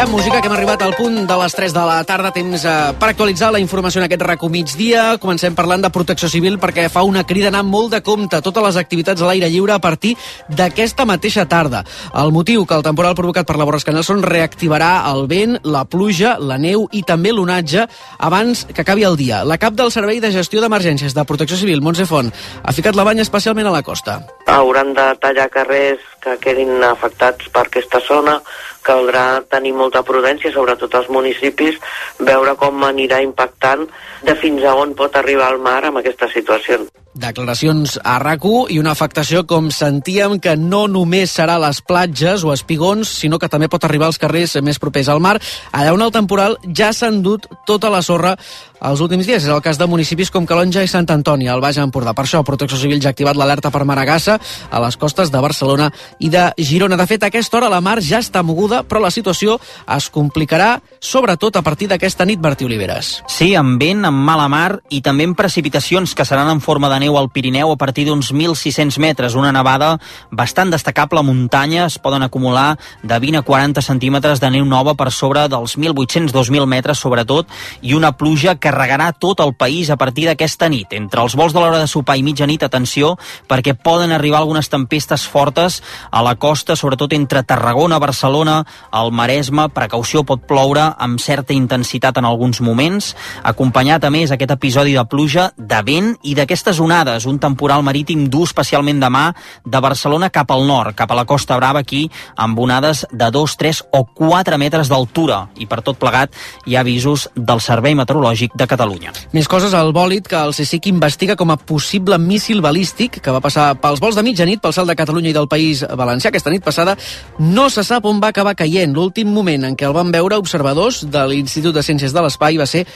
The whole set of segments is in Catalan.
música, que hem arribat al punt de les 3 de la tarda, temps per actualitzar la informació en aquest RAC1 migdia. Comencem parlant de protecció civil perquè fa una crida a anar molt de compte totes les activitats a l'aire lliure a partir d'aquesta mateixa tarda. El motiu, que el temporal provocat per la borrasca Nelson reactivarà el vent, la pluja, la neu i també l'onatge abans que acabi el dia. La cap del Servei de Gestió d'Emergències de Protecció Civil, Montse Font, ha ficat la banya especialment a la costa. Hauran de tallar carrers que quedin afectats per aquesta zona. Caldrà tenir molta prudència, sobretot als municipis, veure com anirà impactant de fins a on pot arribar el mar amb aquesta situació. Declaracions a RAC1 i una afectació, com sentíem, que no només serà a les platges o espigons, sinó que també pot arribar als carrers més propers al mar, allà on el temporal ja s'ha endut tota la sorra els últims dies. És el cas de municipis com Calonja i Sant Antoni, al Baix Empordà. Per això, Protecció Civil ja ha activat l'alerta per maragassa a les costes de Barcelona i de Girona. De fet, a aquesta hora la mar ja està moguda, però la situació es complicarà, sobretot a partir d'aquesta nit, Bertí Oliveres. Sí, amb vent, amb mala mar i també amb precipitacions que seran en forma de neu al Pirineu a partir d'uns 1.600 metres. Una nevada bastant destacable a muntanya. Es poden acumular de 20 a 40 centímetres de neu nova per sobre dels 1.800-2.000 metres, sobretot, i una pluja que regarà tot el país a partir d'aquesta nit. Entre els vols de l'hora de sopar i mitjanit, atenció, perquè poden arribar algunes tempestes fortes a la costa, sobretot entre Tarragona, Barcelona, el Maresme. Precaució, pot ploure amb certa intensitat en alguns moments, acompanyat a més aquest episodi de pluja, de vent i d'aquestes onades, un temporal marítim dur especialment demà de Barcelona cap al nord, cap a la Costa Brava, aquí amb onades de 2, 3 o 4 metres d'altura, i per tot plegat hi ha avisos del Servei Meteorològic de Catalunya. Més coses, al bòlit que el CSIC investiga com a possible míssil balístic que va passar pels vols de mitjanit pel cel de Catalunya i del País Valencià aquesta nit passada, no se sap on va acabar caient. L'últim moment en què el van veure observadors de l'Institut de Ciències de l'Espai va ser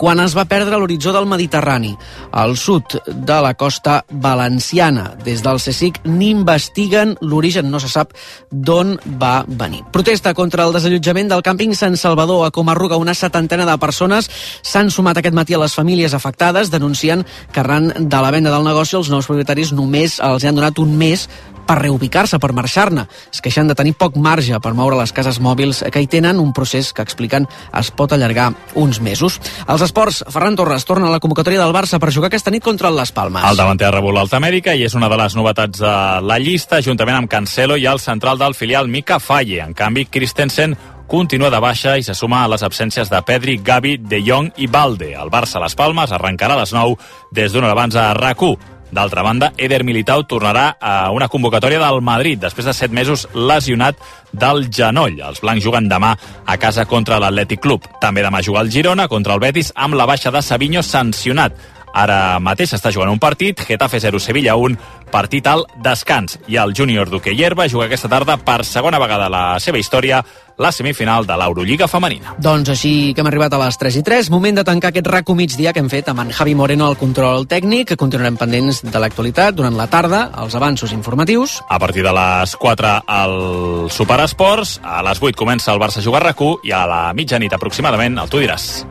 quan es va perdre l'horitzó del Mediterrani, al sud de la costa valenciana. Des del CSIC n'investiguen l'origen, no se sap d'on va venir. Protesta contra el desallotjament del càmping Sant Salvador a Comarruga. Una 70 de persones s'han sumat aquest matí a les famílies afectades, denuncien que arran de la venda del negoci els nous propietaris només els han donat un mes per reubicar-se, per marxar-ne. Es queixen de tenir poc marge per moure les cases mòbils que hi tenen, un procés que expliquen es pot allargar uns mesos. Els esports, Ferran Torres torna a la convocatòria del Barça per jugar aquesta nit contra el Las Palmas. El davanter ha rebut l'Alta Amèrica i és una de les novetats de la llista, juntament amb Cancelo i el central del filial Mika Faye. En canvi, Christensen continua de baixa i se suma a les absències de Pedri, Gavi, De Jong i Balde. El Barça-Las Palmas arrencarà a les 9 des d'una hora abans a RAC1. D'altra banda, Eder Militao tornarà a una convocatòria del Madrid després de 7 mesos lesionat del genoll. Els blancs juguen demà a casa contra l'Atlètic Club. També demà juga el Girona contra el Betis amb la baixa de Savinho sancionat. Ara mateix està jugant un partit, Getafe 0, Sevilla 1, partit al descans. I el júnior Duque Hierba juga aquesta tarda per segona vegada a la seva història la semifinal de l'Eurolliga femenina. Doncs així que hem arribat a les 3:03, moment de tancar aquest RAC1 migdia que hem fet amb en Javi Moreno al control tècnic. Continuarem pendents de l'actualitat durant la tarda, els avanços informatius. A partir de les 4 al Superesports, a les 8 comença el Barça a jugar RAC1 i a la mitjanit aproximadament el Tu diràs.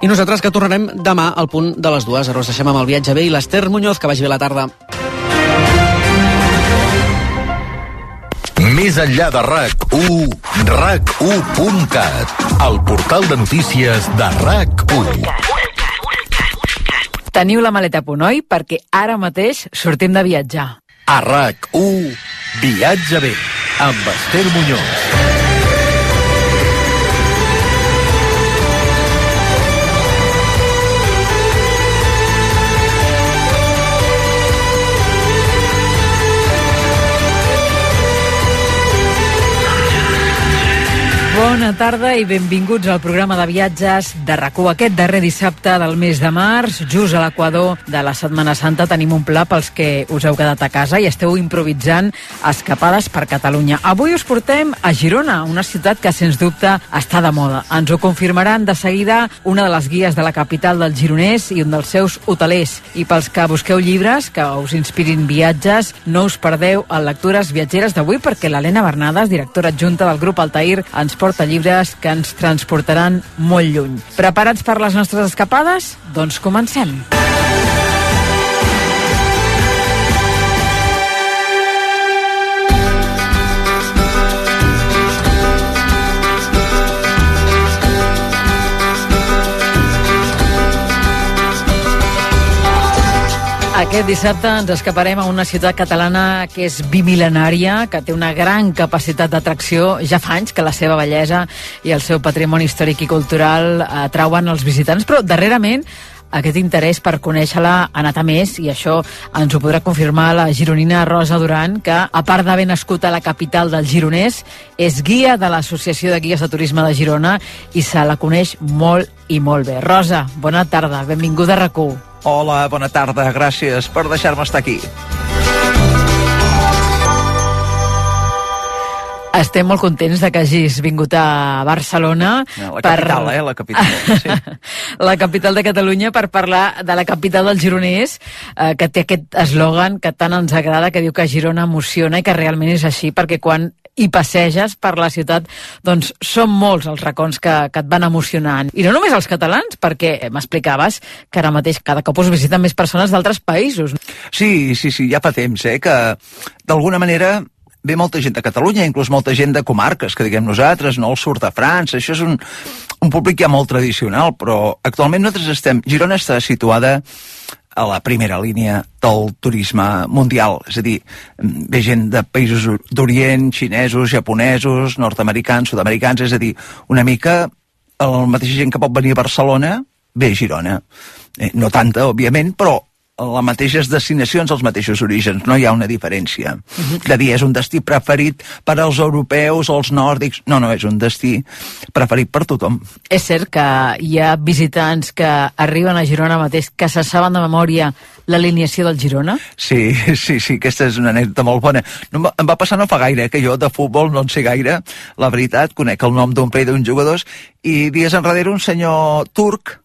I nosaltres que tornarem demà al punt de les 2. Ara us deixem amb el viatge bé i l'Ester Muñoz, que vagi bé la tarda. Més enllà de RAC1, RAC1.cat, el portal de notícies de RAC1. Teniu la maleta a punt, oi? Perquè ara mateix sortim de viatjar. A RAC1, viatge bé, amb Ester Muñoz. Bona tarda i benvinguts al programa de viatges de RAC1. Aquest darrer dissabte del mes de març, just a l'equador de la Setmana Santa, tenim un pla pels que us heu quedat a casa i esteu improvisant escapades per Catalunya. Avui us portem a Girona, una ciutat que sens dubte està de moda. Ens ho confirmaran de seguida una de les guies de la capital del gironès i un dels seus hotelers. I pels que busqueu llibres que us inspirin viatges, no us perdeu a Lectures Viatgeres d'avui, perquè l'Helena Bernades, directora adjunta del grup Altair, ens porta llibres que ens transportaran molt lluny. Preparats per les nostres escapades? Doncs comencem. Aquest dissabte ens escaparem a una ciutat catalana que és bimil·lenària, que té una gran capacitat d'atracció. Ja fa anys que la seva bellesa i el seu patrimoni històric i cultural atrauen els visitants, però darrerament aquest interès per conèixer-la ha anat a més, i això ens ho podrà confirmar la gironina Rosa Duran, que, a part d'haver nascut a la capital del Gironès, és guia de l'Associació de Guies de Turisme de Girona i se la coneix molt i molt bé. Rosa, bona tarda, benvinguda a RAC1. Hola, bona tarda, gràcies per deixar-me estar aquí. Estem molt contents de que hagis vingut a Barcelona. La capital, la capital. Sí. La capital de Catalunya, per parlar de la capital del Gironès, que té aquest eslògan que tant ens agrada, que diu que Girona emociona, i que realment és així, perquè quan hi passeges per la ciutat, doncs són molts els racons que et van emocionant. I no només els catalans, perquè m'explicaves que ara mateix cada cop us visiten més persones d'altres països. Sí, ja fa temps, que d'alguna manera ve molta gent de Catalunya, inclús molta gent de comarques, que diguem nosaltres, no? El sud de França, això és un públic ja molt tradicional, però actualment Girona està situada a la primera línia del turisme mundial, és a dir, ve gent de països d'Orient, xinesos, japonesos, nord-americans, sud-americans, és a dir, una mica el mateix gent que pot venir a Barcelona ve a Girona. No tanta, òbviament, però les mateixes destinacions, els mateixos orígens, no hi ha una diferència. De dir, és un destí preferit per als europeus o els nòrdics, no, és un destí preferit per tothom. És cert que hi ha visitants que arriben a Girona mateix que se saben de memòria l'alineació del Girona? Sí, aquesta és una anècdota molt bona. No, em va passar no fa gaire, que jo de futbol no en sé gaire, la veritat, conec el nom d'un parell d'uns jugadors, i dies enrere un senyor turc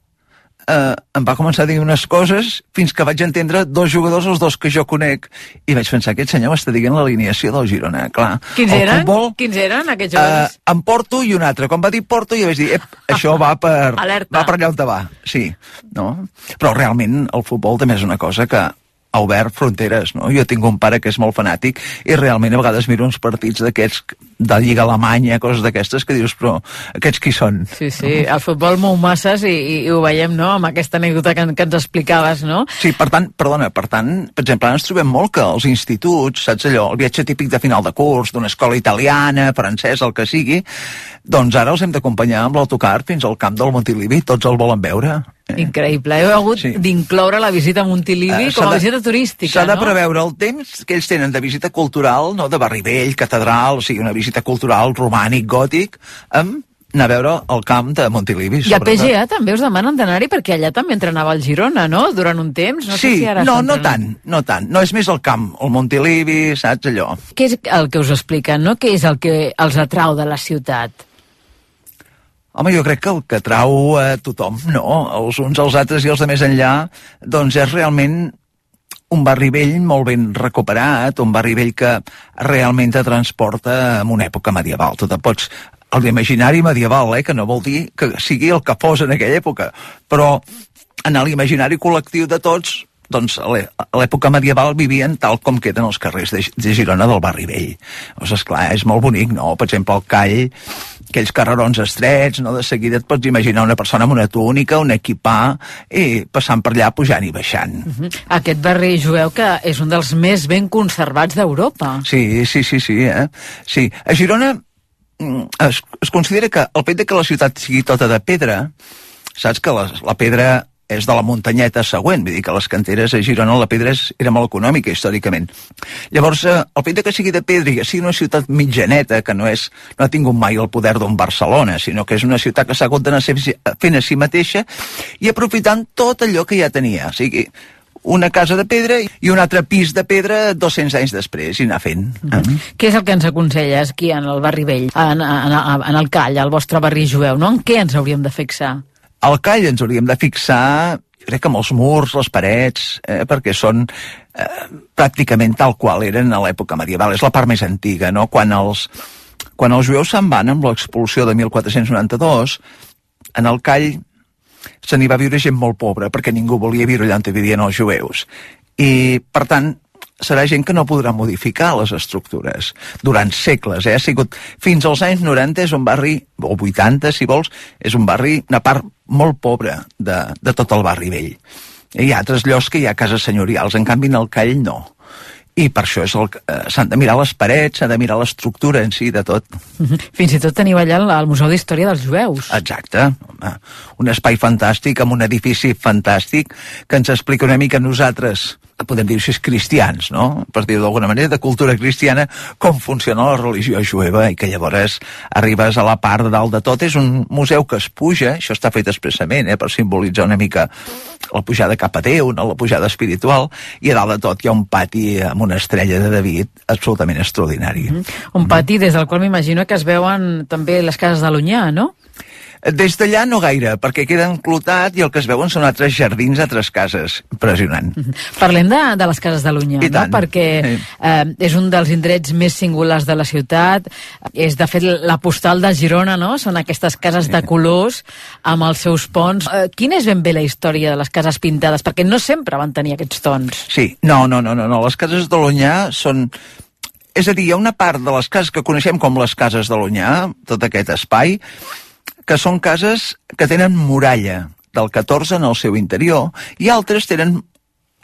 em va començar a dir unes coses fins que vaig entendre dos jugadors, els dos que jo conec, i vaig pensar, aquest senyor m'està dient l'alineació del Girona, clar. Quins eren aquests jugadors? En Porto i un altre. Quan va dir Porto jo vaig dir, això va per allà on va, sí, no? Però realment el futbol també és una cosa que ha obert fronteres, no? Jo tinc un pare que és molt fanàtic i realment a vegades miro uns partits d'aquests de Lliga Alemanya, coses d'aquestes, que dius, però aquests qui són? Sí, el futbol mou masses i ho veiem, no?, amb aquesta anècdota que ens explicaves, no? Sí, per tant, per exemple, ens trobem molt que els instituts, saps allò, el viatge típic de final de curs, d'una escola italiana, francesa, el que sigui, doncs ara els hem d'acompanyar amb l'autocar fins al camp del Montilivi, tots el volen veure. Increïble, heu hagut d'incloure la visita a Montilivi com a visita turística, s'ha de preveure el temps que ells tenen de visita cultural, no?, de barri vell, catedral, o sigui, una visita cultural romànic, gòtic, amb anar a veure el camp de Montilivi. I a PGA també us demanen d'anar-hi, perquè allà també entrenava el Girona, no?, durant un temps. No sé si ara no tant. No, és més el camp, el Montilivi, saps, allò. Què és el que us expliquen, no? Què és el que els atrau de la ciutat? Home, jo crec que el que atrau a tothom, no? Els uns, els altres i els de més enllà, doncs és realment un barri vell molt ben recuperat, un barri vell que realment te transporta en una època medieval. Tu te pots... El d'imaginari medieval, que no vol dir que sigui el que fos en aquella època, però en l'imaginari col·lectiu de tots, doncs a l'època medieval vivien tal com queden els carrers de Girona del barri vell. Doncs esclar, és molt bonic, no? Per exemple, el Call, aquells carrerons estrets, no? De seguida et pots imaginar una persona amb una túnica, un equipà, i passant per allà, pujant i baixant. Aquest barri jueu que és un dels més ben conservats d'Europa. Sí. Sí, a Girona es considera que el fet que la ciutat sigui tota de pedra, saps que la pedra és de la muntanyeta següent, vull dir que les canteres a Girona la pedra era molt econòmica històricament. Llavors, el fet que sigui de pedra i que sigui una ciutat mitjaneta, que no ha tingut mai el poder d'un Barcelona, sinó que és una ciutat que s'ha hagut d'anar fent a si mateixa i aprofitant tot allò que ja tenia. O sigui, una casa de pedra i un altre pis de pedra 200 anys després, i anar fent. Què és el que ens aconselles aquí en el barri vell, en el Call, al vostre barri jueu, no? En què ens hauríem de fixar? Al Call ens hauríem de fixar, jo crec que amb els murs, les parets, perquè són pràcticament tal qual eren a l'època medieval. És la part més antiga, no? Quan els jueus se'n van amb l'expulsió de 1492, en el Call se n'hi va viure gent molt pobra, perquè ningú volia viure allà on vivien els jueus. I, per tant, serà gent que no podrà modificar les estructures durant segles. Ha sigut fins als anys 90, és un barri, o 80 si vols, és un barri, una part molt pobra de tot el barri vell. Hi ha altres llocs que hi ha cases senyorials, en canvi en el Call no. I per això s'han de mirar les parets, s'ha de mirar l'estructura en si de tot. Fins i tot teniu allà el Museu d'Història dels Jueus. Exacte. Un espai fantàstic, amb un edifici fantàstic, que ens explica una mica nosaltres, podem dir així, cristians, no? Per dir-ho d'alguna manera, de cultura cristiana, com funciona la religió jueva, i que llavors arribes a la part de dalt de tot. És un museu que es puja, això està fet expressament, per simbolitzar una mica la pujada cap a Déu, no? La pujada espiritual, i a dalt de tot hi ha un pati amb una estrella de David absolutament extraordinari. Un pati des del qual m'imagino que es veuen també les cases de l'Onyar, no? Des d'allà no gaire, perquè queda enclotat i el que es veuen són altres jardins, altres cases. Impressionant. Parlem de les cases de l'Onyar, no? Perquè és un dels indrets més singulars de la ciutat. És, de fet, la postal de Girona, no? Són aquestes cases de colors amb els seus ponts. Quina és ben bé la història de les cases pintades? Perquè no sempre van tenir aquests tons. Sí, no. Les cases de l'Onyar són... És a dir, hi ha una part de les cases que coneixem com les cases de l'Onyar, tot aquest espai, que són cases que tenen muralla del 14 en el seu interior, i altres tenen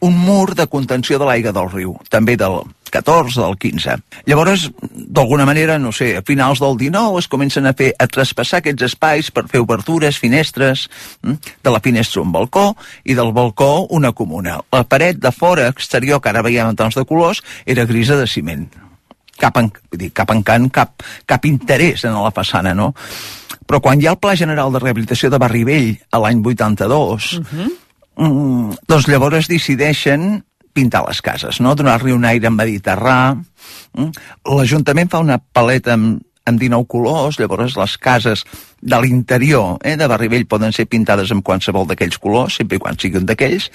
un mur de contenció de l'aigua del riu, també del 14, del 15. Llavors, d'alguna manera, no sé, a finals del 19 es comencen a traspassar aquests espais per fer obertures, finestres, de la finestra un balcó, i del balcó una comuna. La paret de fora, exterior, que ara veiem en tons de colors, era grisa de ciment. Cap encant, cap interès en la façana, no? Però quan hi ha el Pla General de Rehabilitació de Barri Vell a l'any 82, doncs llavors decideixen pintar les cases, no? Donar-li un aire mediterrà. L'Ajuntament fa una paleta amb 19 colors, llavors les cases de l'interior de Barri Vell poden ser pintades amb qualsevol d'aquells colors, sempre i quan siguin d'aquells.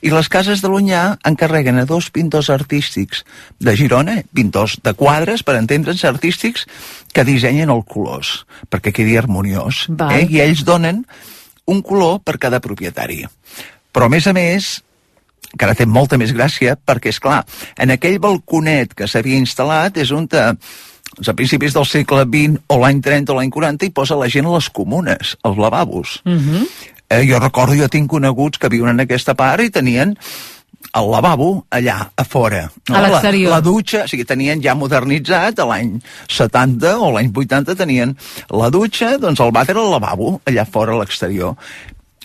I les cases de l'Onyar encarreguen a 2 pintors artístics de Girona, pintors de quadres, per entendre'ns, artístics, que dissenyen els colors, perquè quedi harmoniós. I ells donen un color per cada propietari. Però, a més, que ara té molta més gràcia, perquè, és clar, en aquell balconet que s'havia instal·lat és on a principis del segle XX o l'any 30 o l'any 40 hi posa la gent a les comunes, als lavabos. Jo recordo, jo tinc coneguts que viuen en aquesta part i tenien el lavabo allà, a fora. A l'exterior. La dutxa, o sigui, tenien ja modernitzat, a l'any 70 o l'any 80 tenien la dutxa, doncs el vàter al lavabo, allà fora a l'exterior.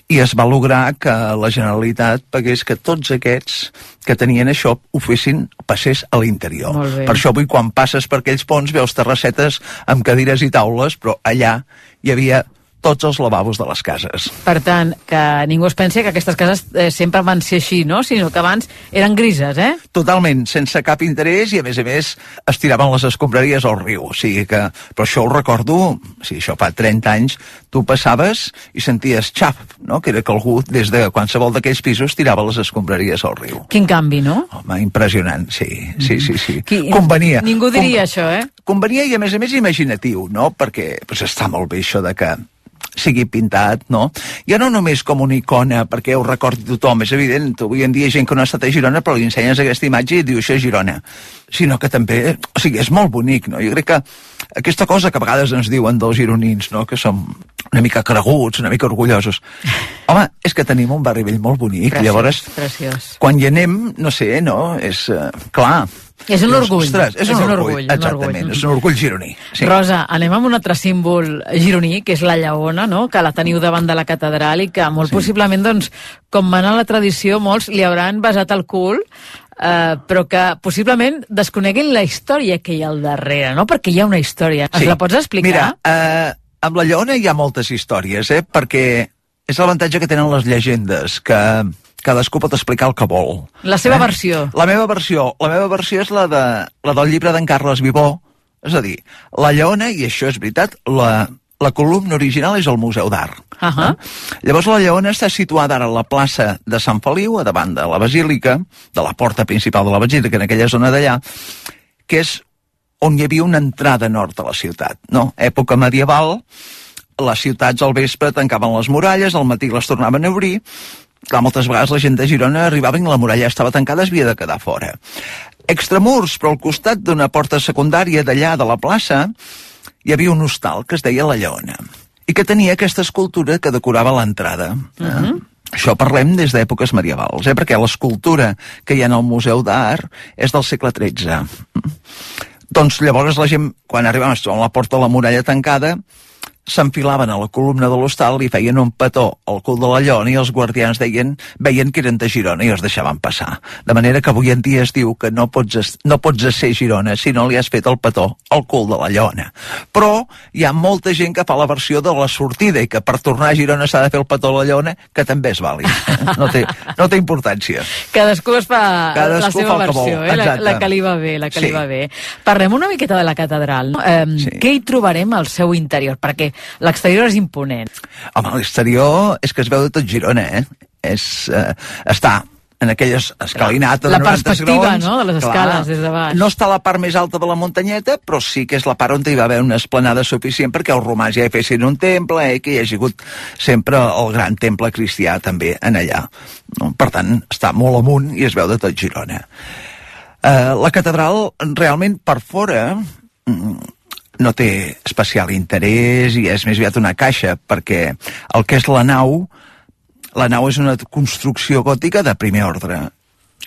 I es va lograr que la Generalitat pagués que tots aquests que tenien això passés a l'interior. Per això avui quan passes per aquells ponts veus terrassetes amb cadires i taules, però allà hi havia tots els lavabos de les cases. Per tant, que ningú es pensi que aquestes cases sempre van ser així, no? Sinó que abans eren grises, Totalment, sense cap interès, i a més es tiraven les escombraries al riu. O sigui que, però això ho recordo, això fa 30 anys, tu passaves i senties xaf, no? Que era que algú des de qualsevol d'aquells pisos tirava les escombraries al riu. Quin canvi, no? Home, impressionant, sí. Convenia. Ningú diria això, Convenia i a més imaginatiu, no? Perquè està molt bé això de que sigui pintat, no? Ja no només com una icona perquè ho recordi tothom, és evident, avui en dia hi ha gent que no ha estat a Girona però li ensenyes aquesta imatge i diu això és Girona, sinó que també, és molt bonic, no? Jo crec que aquesta cosa que a vegades ens diuen dels gironins, no? Que som una mica creguts, una mica orgullosos. Home, és que tenim un Barri Vell molt bonic, llavors, quan hi anem, no sé, no? És clar. És un orgull. Ostres, és un orgull, exactament, és un orgull gironí. Sí. Rosa, anem amb un altre símbol gironí, que és la lleona, no? Que la teniu davant de la catedral i que molt possiblement, doncs, com mana la tradició, molts li hauran besat el cul, però que possiblement desconeguin la història que hi ha al darrere, no? Perquè hi ha una història. Ens la pots explicar? Mira, amb la lleona hi ha moltes històries, perquè és l'avantatge que tenen les llegendes, que cadascú pot explicar el que vol. La seva versió. La meva versió és la del llibre d'en Carles Vivó, és a dir, la lleona, i això és veritat, la columna original és al Museu d'Art. Llavors la lleona està situada ara a la plaça de Sant Feliu, a davant de la Basílica, de la porta principal de la Basílica, en aquella zona d'allà, que és on hi havia una entrada nord a la ciutat, no? Època medieval, les ciutats al vespre tancaven les muralles, al matí les tornaven a obrir. Clar, moltes vegades la gent de Girona arribava i la muralla estava tancada, es havia de quedar fora. Extramurs, però al costat d'una porta secundària d'allà de la plaça, hi havia un hostal que es deia La Lleona, i que tenia aquesta escultura que decorava l'entrada. Això parlem des d'èpoques medievals, perquè l'escultura que hi ha al Museu d'Art és del segle XIII. Doncs llavors la gent, quan arribaven a la porta de la muralla tancada, s'enfilaven a la columna de l'hostal i feien un petó al cul de la llona i els guardians veien que eren de Girona i els deixaven passar. De manera que avui en dia es diu que no pots ser Girona si no li has fet el petó al cul de la llona. Però hi ha molta gent que fa la versió de la sortida i que per tornar a Girona s'ha de fer el petó a la llona, que també és vàlid. No té importància. Cadascú es fa la seva versió, la que li va bé, Sí. Parlem una miqueta de la catedral. Sí. Què hi trobarem al seu interior? Perquè l'exterior és imponent. Home, l'exterior és que es veu de tot Girona, està en aquelles escalinata de 90 perspectiva, graons. No?, de les escales des de baix. No està a la part més alta de la muntanyeta, però sí que és la part on hi va haver una esplanada suficient perquè els romans ja hi fessin un temple, que hi hagi hagut sempre el gran temple cristià també en allà. No? Per tant, està molt amunt i es veu de tot Girona. La catedral realment per fora no té especial interès i és més aviat una caixa, perquè el que és la nau és una construcció gòtica de primer ordre.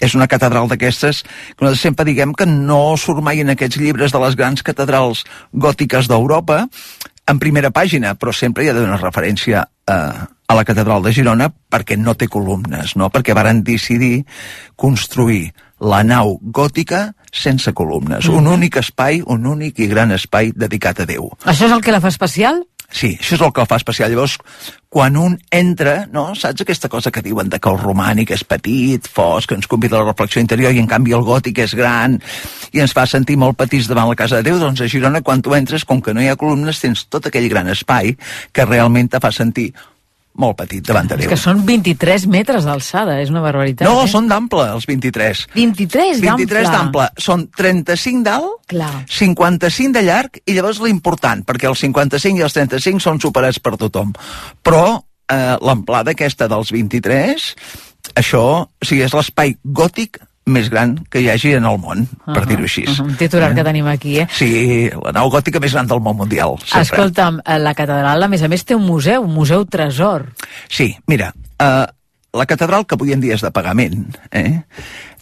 És una catedral d'aquestes que nosaltres sempre diguem que no surt mai en aquests llibres de les grans catedrals gòtiques d'Europa en primera pàgina, però sempre hi ha d'una referència a la catedral de Girona perquè no té columnes, no? Perquè varen decidir construir la nau gòtica sense columnes. Un únic espai, un únic i gran espai dedicat a Déu. Això és el que la fa especial? Sí, això és el que la fa especial. Llavors, quan un entra, no, saps aquesta cosa que diuen de que el romànic és petit, fosc, que ens convida a la reflexió interior, i en canvi el gòtic és gran i ens fa sentir molt petits davant la casa de Déu? Doncs a Girona, quan tu entres, com que no hi ha columnes, tens tot aquell gran espai que realment te fa sentir molt petit davant de Déu. És que són 23 metres d'alçada, és una barbaritat. No, són d'ample, els 23. 23 d'ample? 23 d'ample. Són 35 d'alt, Clar. 55 de llarg, i llavors l'important, perquè els 55 i els 35 són superats per tothom. Però l'amplada aquesta dels 23, això, o sigui, és l'espai gòtic més gran que hi hagi en el món, per dir-ho així. Un titular que tenim aquí, Sí, la nau gòtica més gran del món mundial. Sempre. Escolta'm, la catedral, a més té un museu tresor. Sí, mira, la catedral, que avui en dia és de pagament,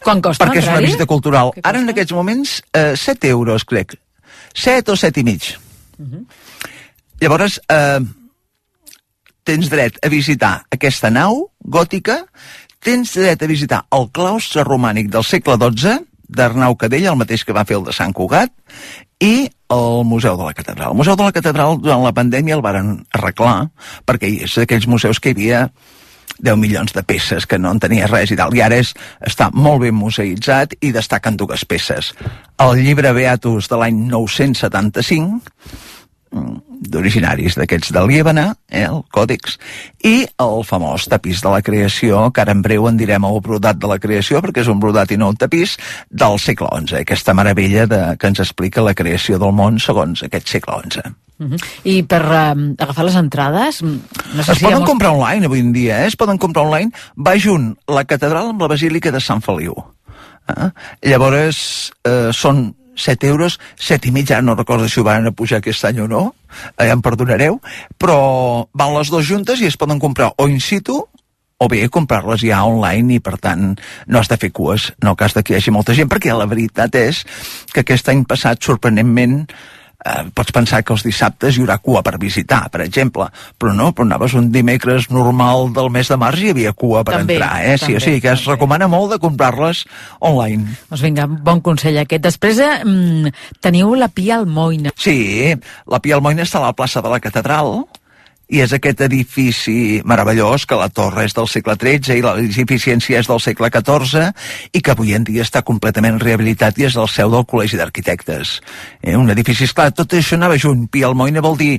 Quan costa, perquè és una entrarhi? visita cultural. Ara, en aquests moments, 7 euros, crec. 7 o 7 i mig. Llavors, tens dret a visitar aquesta nau gòtica, tens dret a visitar el claustre romànic del segle XII, d'Arnau Cadell, el mateix que va fer el de Sant Cugat, i el Museu de la Catedral. El Museu de la Catedral, durant la pandèmia, el varen arreglar, perquè és d'aquells museus que hi havia 10 milions de peces, que no en tenia res i tal, i ara està molt ben museïtzat i destaquen 2 peces. El llibre Beatus de l'any 975, d'originaris d'aquests de Líbana, el Còdex, i el famós tapís de la creació, que ara en breu en direm el brodat de la creació, perquè és un brodat i no un tapís, del segle XI, aquesta meravella que ens explica la creació del món segons aquest segle XI. I per agafar les entrades... No sé es poden comprar online avui en dia, es poden comprar online. Va junt la catedral amb la basílica de Sant Feliu. Llavors són 7 euros, 7 i mig, ara no recordo si ho van pujar aquest any o no, ja em perdonareu, però van les dues juntes i es poden comprar o in situ o bé comprar-les ja online i per tant no has de fer cues en el cas que hi hagi molta gent, perquè la veritat és que aquest any passat, sorprenentment, pots pensar que els dissabtes hi haurà cua per visitar, per exemple, però no, però anaves un dimecres normal del mes de març i hi havia cua per entrar, Sí, o sigui que es recomana molt de comprar-les online. Doncs vinga, bon consell aquest. Després teniu la Pia Almoina. Sí, la Pia Almoina està a la plaça de la Catedral, i és aquest edifici meravellós, que la torre és del segle XIII i l'edificiència és del segle XIV, i que avui en dia està completament rehabilitat i és el seu del Col·legi d'Arquitectes. Un edifici, esclar, tot això anava junt. Pia Almoina vol dir,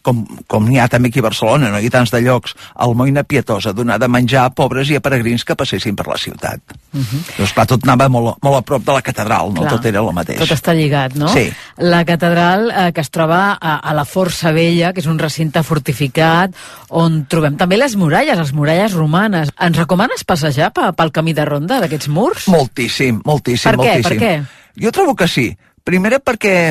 com n'hi ha també aquí a Barcelona, no hi ha tants de llocs, almoina pietosa, donar de menjar a pobres i a peregrins que passessin per la ciutat. Doncs clar, tot anava molt a prop de la catedral, no? Tot era el mateix. Tot està lligat, no? Sí. La catedral que es troba a la Força Vella, que és un recinte fortificat, on trobem també les muralles romanes. Ens recomanes passejar pel camí de ronda d'aquests murs? Moltíssim. Per què? Jo trobo que sí. Primera perquè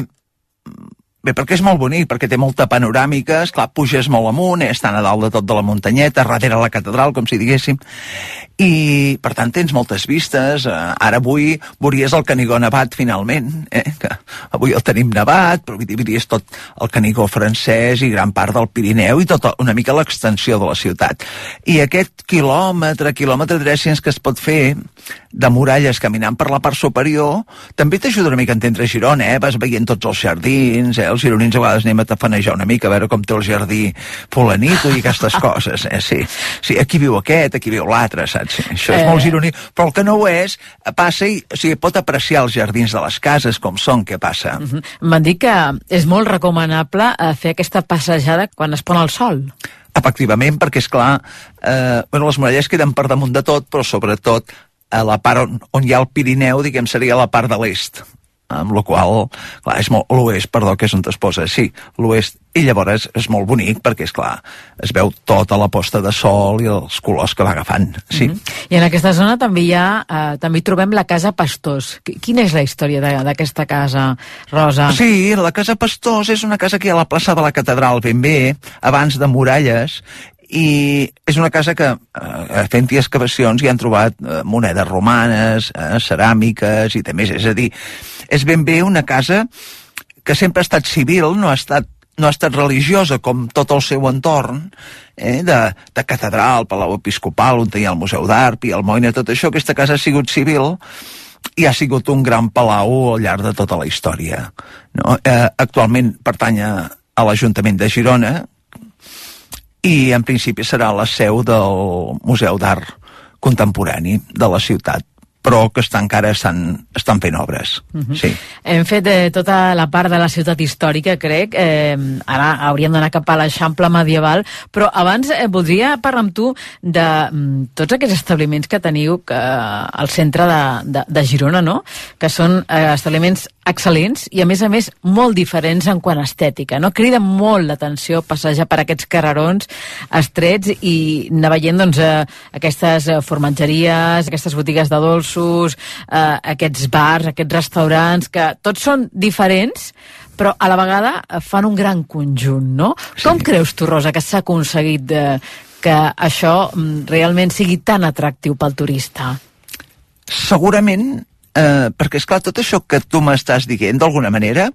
Bé, perquè és molt bonic, perquè té molta panoràmica, esclar, puges molt amunt, estan a dalt de tot de la muntanyeta, darrere la catedral, com si diguéssim, i per tant tens moltes vistes. Ara avui veuries el Canigó nevat finalment, que avui el tenim nevat, però veuries tot el Canigó francès i gran part del Pirineu i tota una mica l'extensió de la ciutat. I aquest quilòmetre 300 que es pot fer de muralles caminant per la part superior també t'ajuda una mica a entendre Girona, vas veient tots els jardins, els gironins a vegades anem a tafanejar una mica a veure com té el jardí fulanito i aquestes coses, sí, aquí viu aquest, aquí viu l'altre, saps? Això és molt gironí, però el que no ho és, passa i pot apreciar els jardins de les cases com són, què passa. M'han dit que és molt recomanable fer aquesta passejada quan es pon el sol. Efectivament, perquè és clar, les muralles queden per damunt de tot, però sobretot a la part on hi ha el Pirineu, diguem, seria la part de l'est, amb la qual, clar, és molt l'oest, perdó, que és on es posa, sí, l'oest, i llavors és molt bonic perquè, és clar, es veu tota la posta de sol i els colors que va agafant, sí. I en aquesta zona també també hi trobem la Casa Pastors. Quina és la història d'aquesta casa, Rosa? Sí, la Casa Pastors és una casa que hi ha a la plaça de la Catedral, ben bé, abans de muralles, i és una casa que fent-hi excavacions hi han trobat monedes romanes, ceràmiques i també, és a dir, és ben bé una casa que sempre ha estat civil, no ha estat religiosa com tot el seu entorn, de catedral, palau episcopal, on hi ha el Museu d'Art, i el Moina, tot això. Aquesta casa ha sigut civil i ha sigut un gran palau al llarg de tota la història. Actualment pertany a l'Ajuntament de Girona, i en principi serà la seu del Museu d'Art Contemporani de la ciutat, però que encara estan fent obres. Sí. Hem fet tota la part de la ciutat històrica, crec. Ara hauríem d'anar cap a l'Eixample medieval, però abans voldria parlar amb tu de tots aquests establiments que teniu al centre de Girona, no? Que són establiments excel·lents i, a més, molt diferents en quant a estètica, no? Crida molt l'atenció passejar per aquests carrerons estrets i anar veient, doncs, aquestes formatgeries, aquestes botigues de dolços, aquests bars, aquests restaurants, que tots són diferents, però a la vegada fan un gran conjunt, no? Sí. Com creus tu, Rosa, que s'ha aconseguit que això realment sigui tan atractiu pel turista? Segurament perquè, esclar, tot això que tu m'estàs dient, d'alguna manera,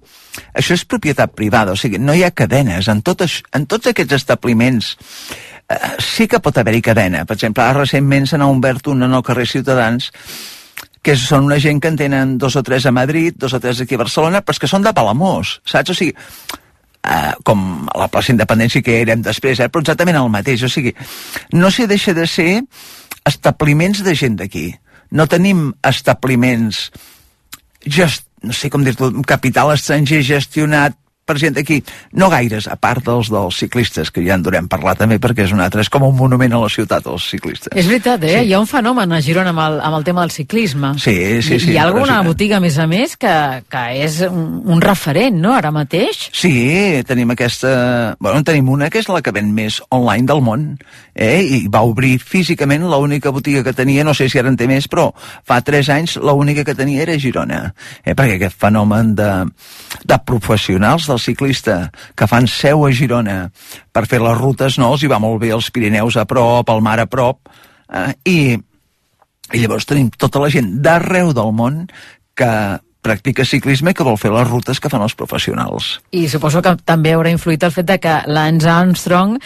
això és propietat privada, o sigui, no hi ha cadenes. En tots aquests establiments sí que pot haver-hi cadena. Per exemple, ara recentment se n'ha obert una al carrer Ciutadans, que són una gent que en tenen 2 o 3 a Madrid, 2 o 3 aquí a Barcelona, però és que són de Palamós, saps? O sigui, com a la plaça Independència que érem després, però exactament el mateix. O sigui, no s'hi deixa de ser establiments de gent d'aquí. No tenim establiments, no sé com dir-ho, capital estranger gestionat per gent d'aquí. No gaires, a part dels ciclistes, que ja en durem parlar també, perquè és com un monument a la ciutat, els ciclistes. És veritat, Sí. Hi ha un fenomen a Girona amb el tema del ciclisme. Sí. Hi ha alguna botiga, a més, que és un referent, no?, ara mateix? Sí, tenim tenim una que és la que ven més online del món, i va obrir físicament l'única botiga que tenia, no sé si ara en té més, però fa 3 anys l'única que tenia era a Girona, perquè aquest fenomen de professionals del ciclista que fan seu a Girona per fer les rutes, no, els hi va molt bé els Pirineus a prop, el mar a prop, i llavors tenim tota la gent d'arreu del món que practica ciclisme i que vol fer les rutes que fan els professionals. I suposo que també haurà influït el fet que Lance Armstrong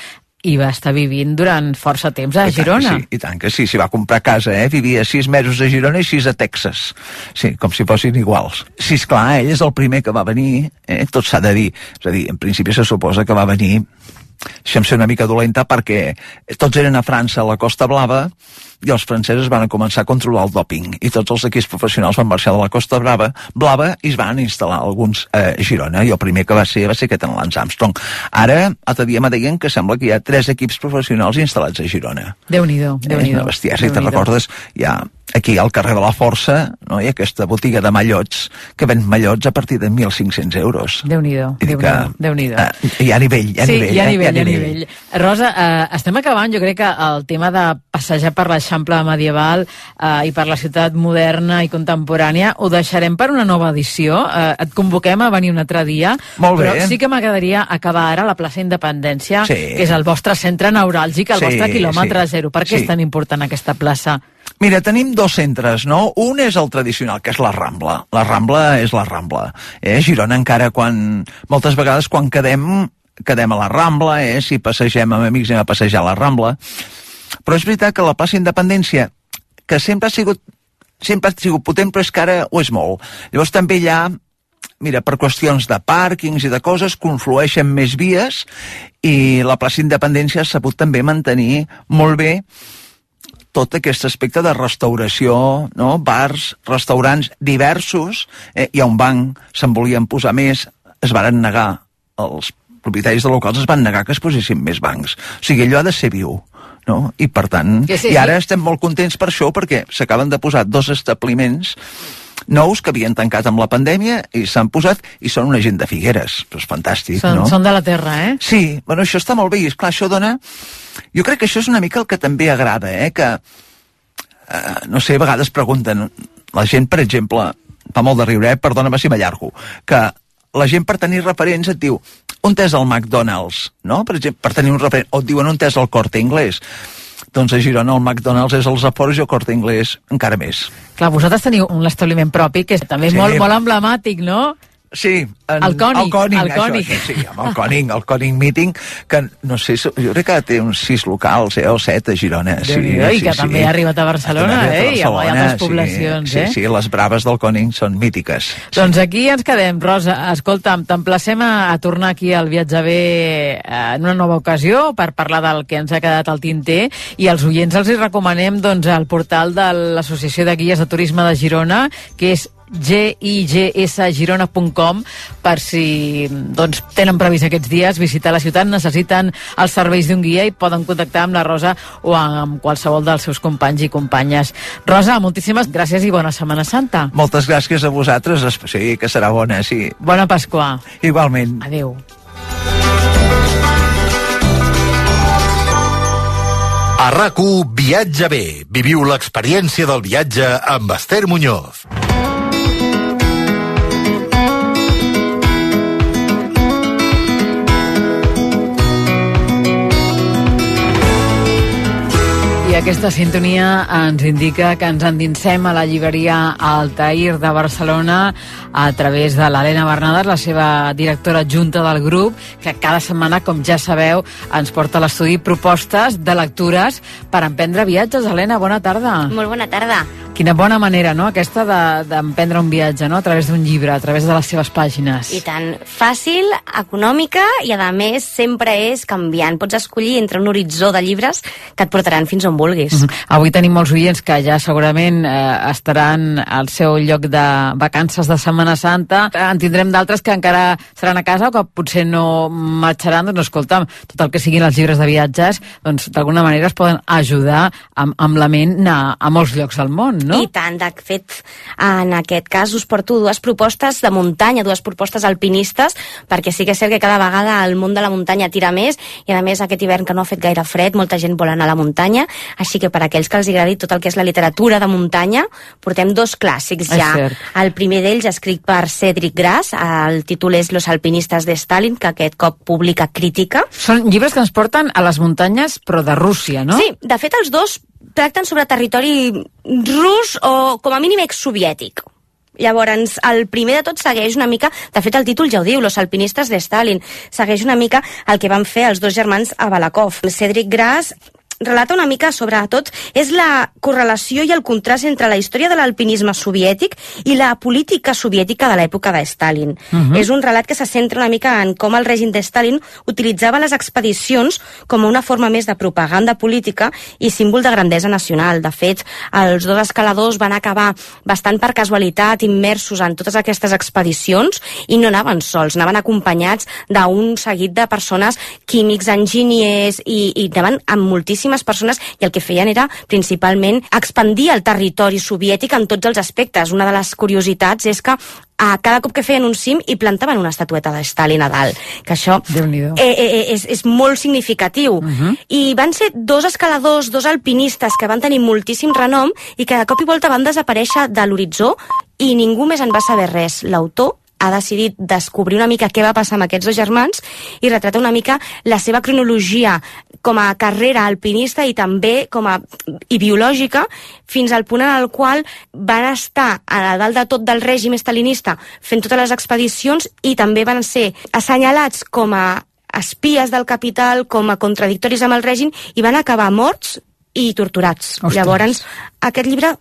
hi va estar vivint durant força temps a Girona. I tant que sí, s'hi va comprar casa, vivia 6 mesos a Girona i 6 a Texas. Sí, com si fossin iguals. Sí, esclar, ell és el primer que va venir, tot s'ha de dir. És a dir, en principi se suposa que va venir, deixa'm ser una mica dolenta, perquè tots eren a França, a la Costa Blava, i els francesos van començar a controlar el dòping, i tots els equips professionals van marxar de la Costa Blava i es van instal·lar alguns a Girona, i el primer que va ser aquest en Lance Armstrong. Ara, l'altre dia me deien que sembla que hi ha 3 equips professionals instal·lats a Girona. Déu-n'hi-do. Una bestiesa, si te'n recordes, hi ha aquí al carrer de la Força, no, hi ha aquesta botiga de mallots que ven mallots a partir de 1.500 euros. Déu-n'hi-do. Hi ha nivell, hi ha nivell. Rosa, estem acabant, jo crec que el tema de passejar per l'Eixample l'Eixample medieval i per la ciutat moderna i contemporània. Ho deixarem per una nova edició. Et convoquem a venir un altre dia. Molt bé. Però sí que m'agradaria acabar ara a la plaça Independència, que és el vostre centre neuràlgic, el vostre quilòmetre zero. Per què és tan important aquesta plaça? Mira, tenim dos centres, no? Un és el tradicional, que és la Rambla. La Rambla és la Rambla. Girona encara moltes vegades quan quedem a la Rambla, si passegem amb amics anem a passejar a la Rambla. Però és veritat que la plaça Independència, que sempre ha sigut potent, però és que ara ho és molt. Llavors també hi ha, mira, per qüestions de pàrquings i de coses, conflueixen més vies i la plaça Independència ha sabut també mantenir molt bé tot aquest aspecte de restauració, no? Bars, restaurants diversos, hi ha un banc, se'n volien posar més, es varen negar, els propietaris de locals es van negar que es posessin més bancs. O sigui, allò ha de ser viu, no? I per tant, i ara estem molt contents per això, perquè s'acaben de posar 2 establiments nous que havien tancat amb la pandèmia i s'han posat i són una gent de Figueres. És fantàstic, no? Són de la terra, Sí, bueno, això està molt bé i esclar, això dona... Jo crec que això és una mica el que també agrada, que, no sé, a vegades pregunten, la gent, per exemple, fa molt de riure, perdona-me si m'allargo, que la gent per tenir referents et diu, on és el McDonald's, no? Per exemple, per tenir un referent, o et diuen on és el Corte Inglés. Doncs a Girona el McDonald's és als Afores i el Corte Inglés encara més. Clar, vosaltres teniu un establiment propi que és també molt emblemàtic, no? Sí, el Cònic. Sí, amb el Cònic Meeting, que no sé, jo crec que té uns 6 locals, o 7 a Girona. I que també ha arribat a Barcelona, i a altres poblacions. Sí, les braves del Cònic són mítiques. Doncs aquí ens quedem, Rosa. Escolta'm, t'emplacem a tornar aquí al Viatge Bé en una nova ocasió per parlar del que ens ha quedat al tinter, i als oients els hi recomanem el portal de l'Associació de Guies de Turisme de Girona, que és gigsgirona.com, per si tenen previst aquests dies visitar la ciutat, necessiten els serveis d'un guia i poden contactar amb la Rosa o amb qualsevol dels seus companys i companyes. Rosa, moltíssimes gràcies i bona Setmana Santa. Moltes gràcies a vosaltres, sí, que serà bona, sí. Bona Pasqua. Igualment. Adéu. A RAC1 Viatge Bé. Viviu l'experiència del viatge amb Esther Muñoz. I aquesta sintonia ens indica que ens endinsem a la llibreria Altair de Barcelona a través de l'Helena Bernades, la seva directora adjunta del grup, que cada setmana, com ja sabeu, ens porta a l'estudi propostes de lectures per emprendre viatges. Helena, bona tarda. Molt bona tarda. Quina bona manera, no?, aquesta d'emprendre un viatge, no?, a través d'un llibre, a través de les seves pàgines. I tant. Fàcil, econòmica i, a més, sempre és canviant. Pots escollir entre un horitzó de llibres que et portaran fins on vulguis. Avui tenim molts oients que ja segurament estaran al seu lloc de vacances de Setmana Santa. En tindrem d'altres que encara seran a casa o que potser no marxaran. Doncs escolta'm, tot el que siguin els llibres de viatges, doncs d'alguna manera es poden ajudar amb la ment a molts llocs del món, no? I tant. De fet, en aquest cas us porto 2 propostes de muntanya, 2 propostes alpinistes, perquè sí que és cert que cada vegada el món de la muntanya tira més, i a més aquest hivern que no ha fet gaire fred, molta gent vol anar a la muntanya, així que per aquells que els agradi tot el que és la literatura de muntanya, portem 2 clàssics ja. El primer d'ells, escrit per Cédric Gras, el títol és Los alpinistes de Stalin, que aquest cop publica Crítica. Són llibres que ens porten a les muntanyes, però de Rússia, no? Sí, de fet els 2 tracten sobre territori rus o com a mínim exsoviètic. Llavors, el primer de tot segueix una mica, de fet el títol ja ho diu, Los alpinistes de Stalin, segueix una mica el que van fer els 2 germans a Balakov. Cédric Gras relata una mica, sobretot, és la correlació i el contrast entre la història de l'alpinisme soviètic i la política soviètica de l'època de Stalin. És un relat que se centra una mica en com el règim de Stalin utilitzava les expedicions com una forma més de propaganda política i símbol de grandesa nacional. De fet, els 2 escaladors van acabar bastant per casualitat immersos en totes aquestes expedicions i no anaven sols, anaven acompanyats d'un seguit de persones, químics, enginyers, i anaven amb moltíssims moltíssimes persones i el que feien era principalment expandir el territori soviètic en tots els aspectes. Una de les curiositats és que cada cop que feien un cim hi plantaven una estatueta de Stalin a dalt, que això és molt significatiu. I van ser 2 escaladors, 2 alpinistes que van tenir moltíssim renom i que de cop i volta van desaparèixer de l'horitzó i ningú més en va saber res. L'autor ha decidit descobrir una mica què va passar amb aquests 2 germans i retrata una mica la seva cronologia com a carrera alpinista i també i biològica, fins al punt en el qual van estar a dalt de tot del règim estalinista fent totes les expedicions i també van ser assenyalats com a espies del capital, com a contradictoris amb el règim i van acabar morts i torturats. Ostres. Llavors, aquest llibre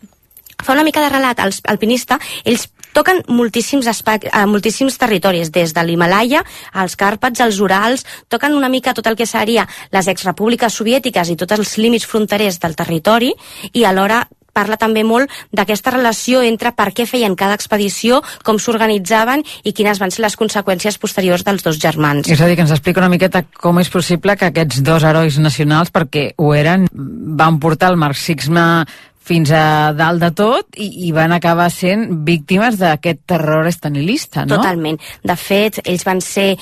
fa una mica de relat alpinista. Ells toquen moltíssims territoris, des de l'Himalaya als Càrpats, als Urals, toquen una mica tot el que seria les exrepúbliques soviètiques i tots els límits fronterers del territori i alhora parla també molt d'aquesta relació entre per què feien cada expedició, com s'organitzaven i quines van ser les conseqüències posteriors dels 2 germans. És a dir, que ens explica una miqueta com és possible que aquests 2 herois nacionals, perquè ho eren, van portar el marxisme fins a dalt de tot i van acabar sent víctimes d'aquest terror estalinista, no? Totalment. De fet, ells van ser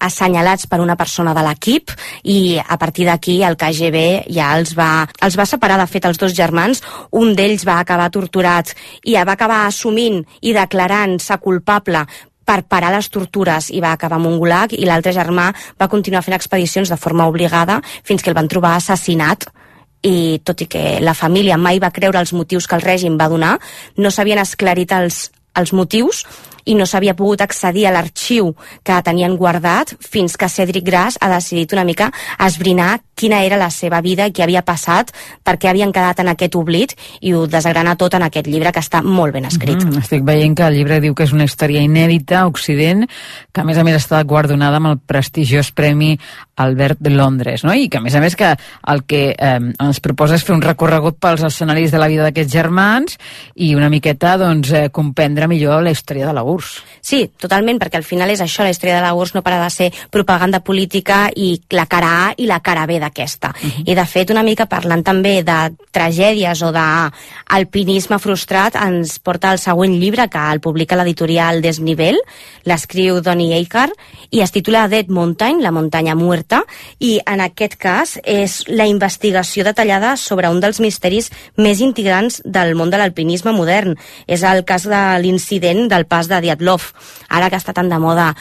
assenyalats per una persona de l'equip i a partir d'aquí el KGB ja els va separar. De fet, els 2 germans, un d'ells va acabar torturat i va acabar assumint i declarant-se culpable per parar les tortures i va acabar amb un gulag, i l'altre germà va continuar fent expedicions de forma obligada fins que el van trobar assassinat. I tot i que la família mai va creure els motius que el règim va donar, no s'havien esclarit els motius i no s'havia pogut accedir a l'arxiu que tenien guardat fins que Cedric Grass ha decidit una mica esbrinar quina era la seva vida i què havia passat, per què havien quedat en aquest oblit, i ho desgrana tot en aquest llibre, que està molt ben escrit. Estic veient que el llibre diu que és una història inèdita a Occident, que a més està guardonada amb el prestigiós Premi Albert de Londres, no? I que a més que el que ens proposa és fer un recorregut pels escenaris de la vida d'aquests germans i una miqueta comprendre millor la història de la URSS. Sí, totalment, perquè al final és això, la història de la URSS no para de ser propaganda política i la cara A i la cara B d'aquesta. I de fet, una mica parlant també de tragèdies o d'alpinisme frustrat, ens porta el següent llibre, que el publica l'editorial Desnivell, l'escriu Donny Eichar, i es titula Dead Mountain, la muntanya muerta, i en aquest cas és la investigació detallada sobre un dels misteris més integrants del món de l'alpinisme modern. És el cas de l'incident del pas de Dyatlov. Ara que està tan de moda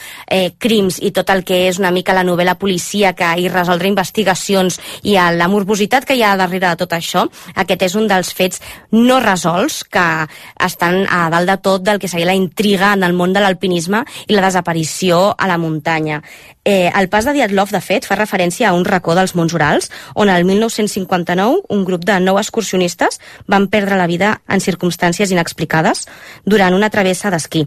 crims i tot el que és una mica la novel·la policíaca i resoldre investigacions i la morbositat que hi ha darrere de tot això, aquest és un dels fets no resolts que estan a dalt de tot del que seria la intriga en el món de l'alpinisme i la desaparició a la muntanya. El pas de Dyatlov, de fet, fa referència a un racó dels Monts Urals, on el 1959 un grup de 9 excursionistes van perdre la vida en circumstàncies inexplicades durant una travessa d'esquí.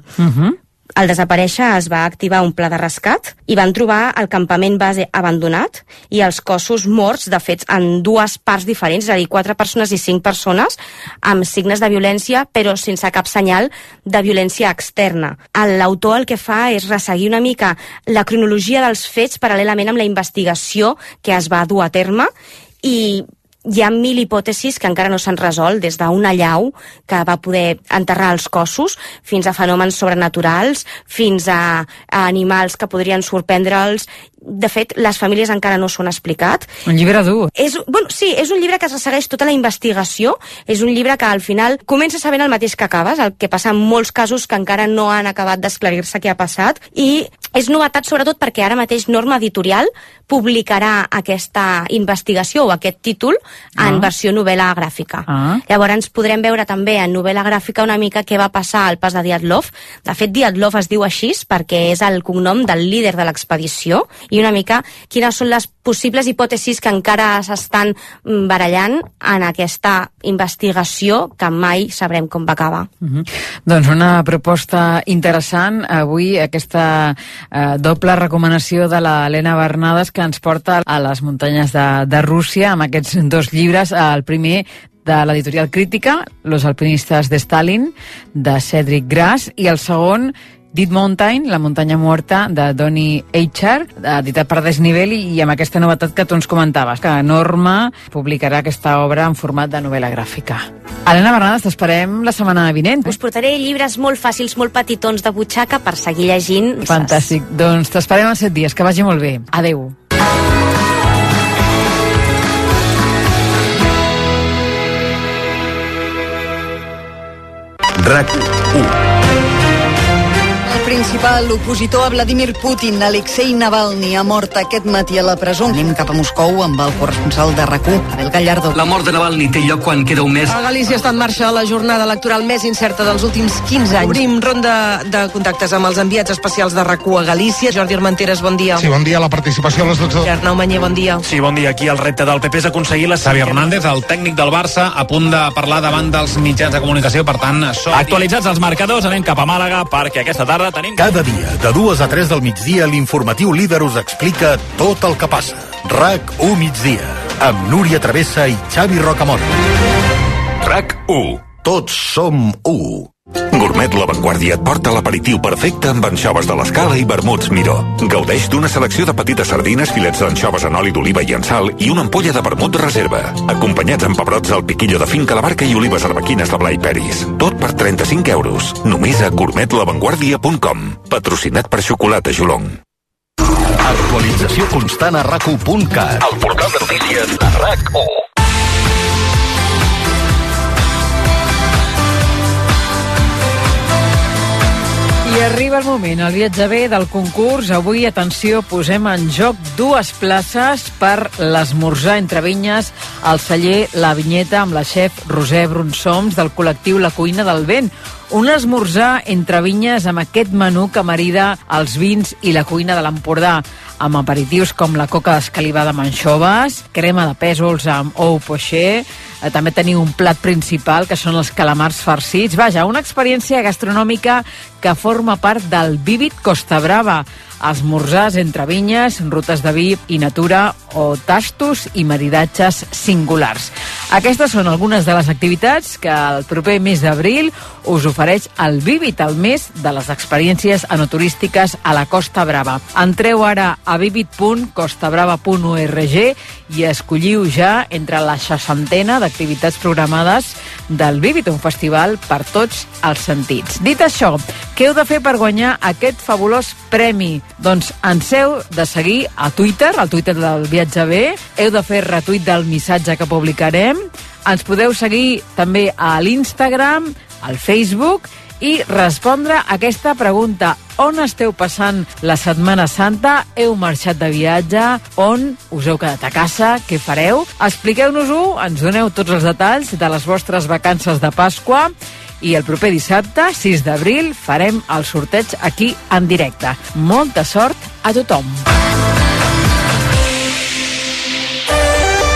Al desaparèixer es va activar un pla de rescat i van trobar el campament base abandonat i els cossos morts, de fet, en 2 parts diferents, és a dir, 4 persones i 5 persones amb signes de violència, però sense cap senyal de violència externa. L'autor el que fa és resseguir una mica la cronologia dels fets paral·lelament amb la investigació que es va dur a terme, i hi ha 1000 hipòtesis que encara no s'han resolt, des d'una allau que va poder enterrar els cossos fins a fenòmens sobrenaturals, fins a animals que podrien sorprendre'ls. De fet, les famílies encara no s'ho han explicat. Un llibre dur. Sí, és un llibre que ressegueix tota la investigació, és un llibre que al final comença sabent el mateix que acabes, el que passa en molts casos que encara no han acabat d'esclarir-se què ha passat, i és novetat sobretot perquè ara mateix Norma Editorial publicarà aquesta investigació o aquest títol en versió novel·la gràfica. Llavors podrem veure també en novel·la gràfica una mica què va passar al pas de Dyatlov. De fet, Dyatlov es diu així perquè és el cognom del líder de l'expedició, i una mica quines són les possibles hipòtesis que encara s'estan barallant en aquesta investigació que mai sabrem com va acabar. Doncs una proposta interessant. Avui aquesta doble recomanació de l'Helena Bernades, que ens porta a les muntanyes de Rússia amb aquests 2 llibres. El primer de l'editorial Crítica, Los alpinistas de Stalin, de Cedric Grass, i el segon, Dead Mountain, la muntanya morta, de Donny Eichar, editat per Desnivell, i amb aquesta novetat que tu ens comentaves, que Norma publicarà aquesta obra en format de novel·la gràfica. Helena Bernades, t'esperem la setmana vinent. Us portaré llibres molt fàcils, molt petitons de butxaca per seguir llegint. Fantàstic. Doncs t'esperem en 7 dies. Que vagi molt bé. Adeu. RAC1. El principal opositor a Vladimir Putin, Alexei Navalny, ha mort aquest matí a la presó. Anem cap a Moscou amb el corresponsal de RAC1, Abel Gallardo. La mort de Navalny té lloc quan queda un mes. A Galícia està en marxa la jornada electoral més incerta dels últims 15 anys. Obrim ronda de contactes amb els enviats especials de RAC1 a Galícia. Jordi Armenteres, bon dia. Sí, bon dia. La participació a les 12. Arnau Manyer, bon dia. Sí, bon dia. Aquí el repte del PP és aconseguir la... Xavi Hernández, el tècnic del Barça, a punt de parlar davant dels mitjans de comunicació, per tant... Actualitzats els marcadors, anem cap a Màlaga, perquè aquesta tarda tenim... Cada dia, de 2 a 3 del migdia, l'informatiu líder us explica tot el que passa. RAC1 migdia, amb Núria Travessa i Xavi Rocamora. RAC1. Tots som 1. Gourmet La Vanguardia et porta l'aperitiu perfecte amb anxoves de l'Escala i vermuts Miró. Gaudeix d'una selecció de petites sardines, filets d'anxoves en oli d'oliva i en sal i una ampolla de vermut reserva. Acompanyats amb pebrots al piquillo de finca La Barca i olives arbequines de Blai Peris. Tot per 35 euros. Només a gourmetlavanguardia.com. Patrocinat per Xocolata Jolong. Actualització constant a RAC1.cat. El portal de notícies de RAC1. I arriba el moment, el viatge bé del concurs. Avui, atenció, posem en joc 2 places per l'esmorzar entre vinyes al celler La Vinyeta amb la xef Roser Brunsoms del col·lectiu La Cuina del Vent. Un esmorzar entre vinyes amb aquest menú que marida els vins i la cuina de l'Empordà, amb aperitius com la coca d'escalivada amb anxoves, crema de pèsols amb ou poché, també teniu un plat principal que són els calamars farcits. Vaja, una experiència gastronòmica que forma part del Vívid Costa Brava. Esmorzars entre vinyes, rutes de vi i natura o tastos i maridatges singulars. Aquestes són algunes de les activitats que el proper mes d'abril us ofereix el Vívid, el mes de les experiències enoturístiques a la Costa Brava. Entreu ara a vivid.costabrava.org i escolliu ja entre la 60ena d'activitats programades del Vívid, un festival per tots els sentits. Dit això, què heu de fer per guanyar aquest fabulós premi? Doncs ens heu de seguir a Twitter, al Twitter del Viatge B, heu de fer retuit del missatge que publicarem, ens podeu seguir també a l'Instagram, al Facebook i respondre a aquesta pregunta. On esteu passant la Setmana Santa? Heu marxat de viatge? On us heu quedat a casa? Què fareu? Expliqueu-nos-ho, ens doneu tots els detalls de les vostres vacances de Pasqua i el proper dissabte, 6 d'abril, farem el sorteig aquí en directe. Molta sort a tothom!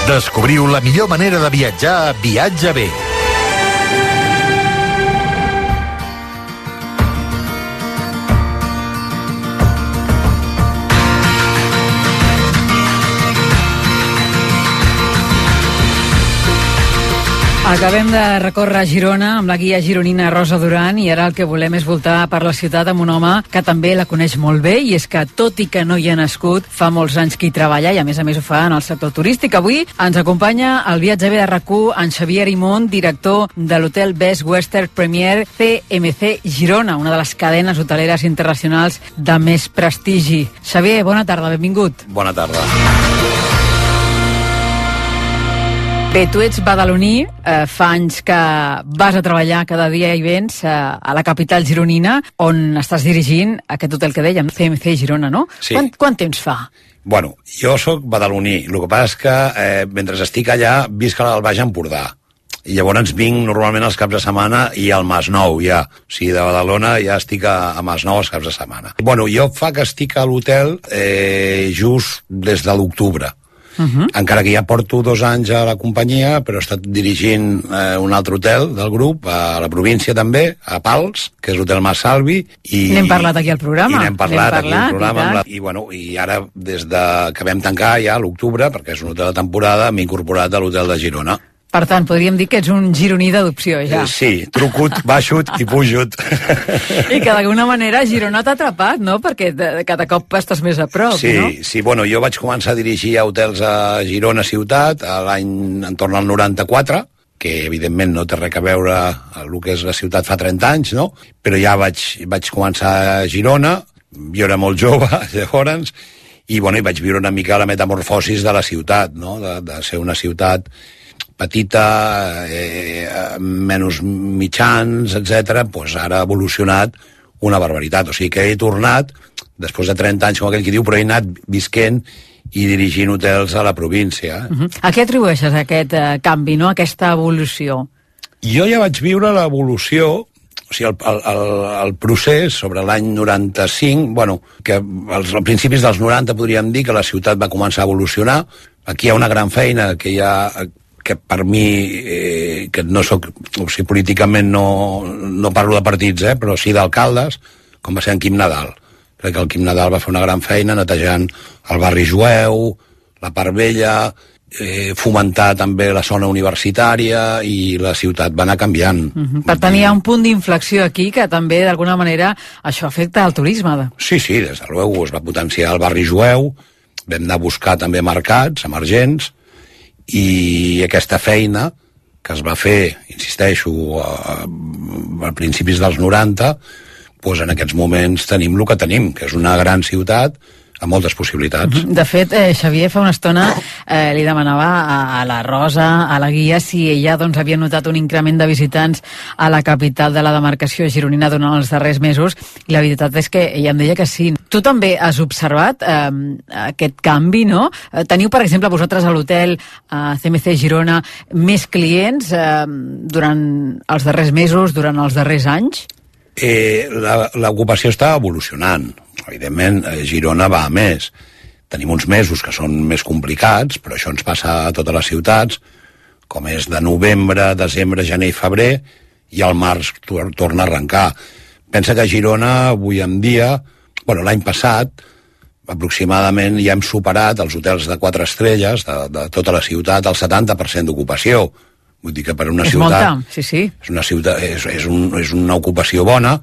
Descobriu la millor manera de viatjar a Viatge Bé. Acabem de recórrer Girona amb la guia gironina Rosa Duran i ara el que volem és voltar per la ciutat amb un home que també la coneix molt bé, i és que, tot i que no hi ha nascut, fa molts anys que hi treballa i a més ho fa en el sector turístic. Avui ens acompanya al Viatge B de RAC1 en Xavier Arimont, director de l'hotel Best Western Premier CMC Girona, una de les cadenes hoteleres internacionals de més prestigi. Xavier, bona tarda, benvingut. Bona tarda. Bé, tu ets badaloní, fa anys que vas a treballar, cada dia hi vens a la capital gironina, on estàs dirigint aquest hotel que dèiem, CMC Girona, no? Sí. Quant temps fa? Bueno, jo sóc badaloní, el que passa és que mentre estic allà visc al Baix Empordà. I llavors vinc normalment els caps de setmana i al Masnou ja. O sigui, de Badalona ja estic a Masnou els caps de setmana. Bueno, jo fa que estic a l'hotel just des de l'octubre. Encara que ja porto 2 anys a la companyia, però he estat dirigint un altre hotel del grup, a la província també, a Pals, que és l'hotel Mas Salvi. N'hem parlat aquí al programa. I n'hem parlat aquí al programa. I ara, des que vam tancar ja a l'octubre, perquè és un hotel de temporada, m'he incorporat a l'hotel de Girona. Per tant, podríem dir que ets un gironí d'adopció, ja. Sí, trucut, baixut i pujut. I que d'alguna manera Girona t'ha atrapat, no? Perquè cada cop estàs més a prop, sí, no? Sí, bueno, jo vaig començar a dirigir a hotels a Girona ciutat l'any entorn al 94, que evidentment no té res a veure amb el que és la ciutat fa 30 anys, no? Però ja vaig començar a Girona, jo era molt jove, llavors, i bueno, vaig viure una mica la metamorfosis de la ciutat, no? De ser una ciutat petita, menys mitjans, etc. Pues ara ha evolucionat una barbaritat. O sigui que he tornat, després de 30 anys, com aquell que diu, però he anat visquent i dirigint hotels a la província. A què atribueixes aquest canvi, no? Aquesta evolució? Jo ja vaig viure l'evolució, o sigui, el procés sobre l'any 95, bueno, que als principis dels 90 podríem dir que la ciutat va començar a evolucionar. Aquí hi ha una gran feina que que per mi, que no soc, o sigui, políticament no parlo de partits, però sí d'alcaldes, com va ser en Quim Nadal. Crec que el Quim Nadal va fer una gran feina netejant el barri jueu, la part vella, fomentar també la zona universitària, i la ciutat va anar canviant. Per tant, hi ha un punt d'inflexió aquí que també, d'alguna manera, això afecta al turisme. Sí, des de luego es va potenciar el barri jueu, vam anar a buscar també mercats emergents, i aquesta feina que es va fer, insisteixo, a principis dels 90, doncs en aquests moments tenim el que tenim, que és una gran ciutat amb moltes possibilitats. De fet, Xavier, fa una estona li demanava a la Rosa, a la guia, si ella doncs, havia notat un increment de visitants a la capital de la demarcació gironina durant els darrers mesos, i la veritat és que ella em deia que sí. Tu també has observat aquest canvi, no? Teniu, per exemple, vosaltres a l'hotel CMC Girona més clients durant els darrers mesos, durant els darrers anys? L'ocupació està evolucionant. Evidentment, Girona va a més. Tenim uns mesos que són més complicats, però això ens passa a totes les ciutats, com és de novembre, desembre, gener i febrer, i al març torna a arrencar. Pensa que a Girona, avui en dia, bueno, l'any passat, aproximadament ja hem superat els hotels de 4 estrelles de tota la ciutat, el 70% d'ocupació. Vull dir que per una ciutat... Molta, sí. És una ciutat, és una ocupació bona,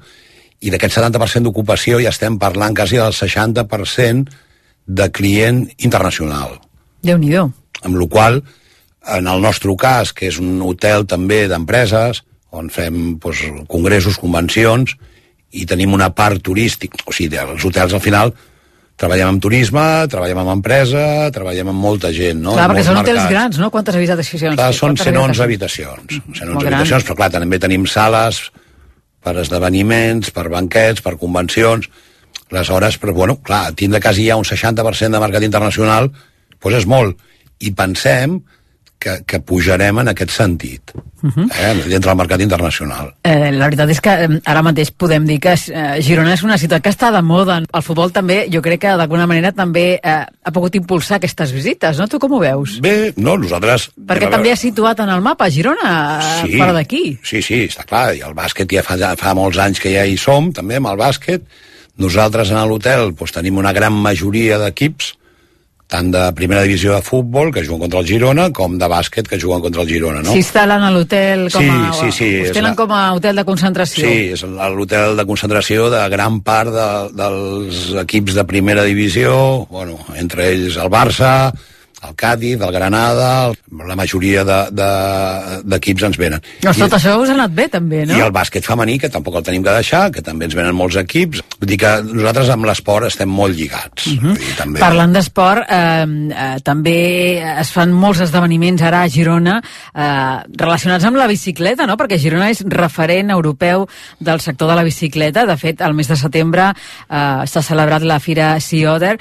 i d'aquest 70% d'ocupació ja estem parlant quasi del 60% de client internacional. Déu-n'hi-do. Amb la qual cosa, en el nostre cas, que és un hotel també d'empreses, on fem congressos, convencions, i tenim una part turística, o sigui, els hotels al final treballem amb turisme, treballem amb empresa, treballem amb molta gent, no? Clar, perquè són hotels grans, no? Quantes habitacions? Clar, són 111 habitacions. 111 habitacions, però clar, també tenim sales per esdeveniments, per banquets, per convencions. Aleshores, però, bueno, clar, tindre quasi ja un 60% de mercat internacional, doncs és molt. I pensem que pujarem en aquest sentit, dintre del mercat internacional. La veritat és que ara mateix podem dir que Girona és una ciutat que està de moda. El futbol també, jo crec que d'alguna manera també ha pogut impulsar aquestes visites, no? Tu com ho veus? Bé, no, nosaltres... Perquè també ha situat en el mapa Girona, fora d'aquí. Sí, està clar, i el bàsquet ja fa molts anys que ja hi som, també, amb el bàsquet. Nosaltres en l'hotel tenim una gran majoria d'equips, tant de primera divisió de futbol, que juguen contra el Girona, com de bàsquet, que juguen contra el Girona, no? S'instal·len a l'hotel com a... Sí. Us tenen com a hotel de concentració. Sí, és l'hotel de concentració de gran part dels equips de primera divisió, bueno, entre ells el Barça, el Cádiz, el Granada, la majoria d'equips ens venen. Doncs tot això us ha anat bé, també, no? I el bàsquet femení, que tampoc el tenim que deixar, que també ens venen molts equips. Vull dir que nosaltres amb l'esport estem molt lligats. Vull dir, també... Parlant d'esport, també es fan molts esdeveniments ara a Girona relacionats amb la bicicleta, no? Perquè Girona és referent europeu del sector de la bicicleta. De fet, al mes de setembre s'ha celebrat la Fira Sea Other.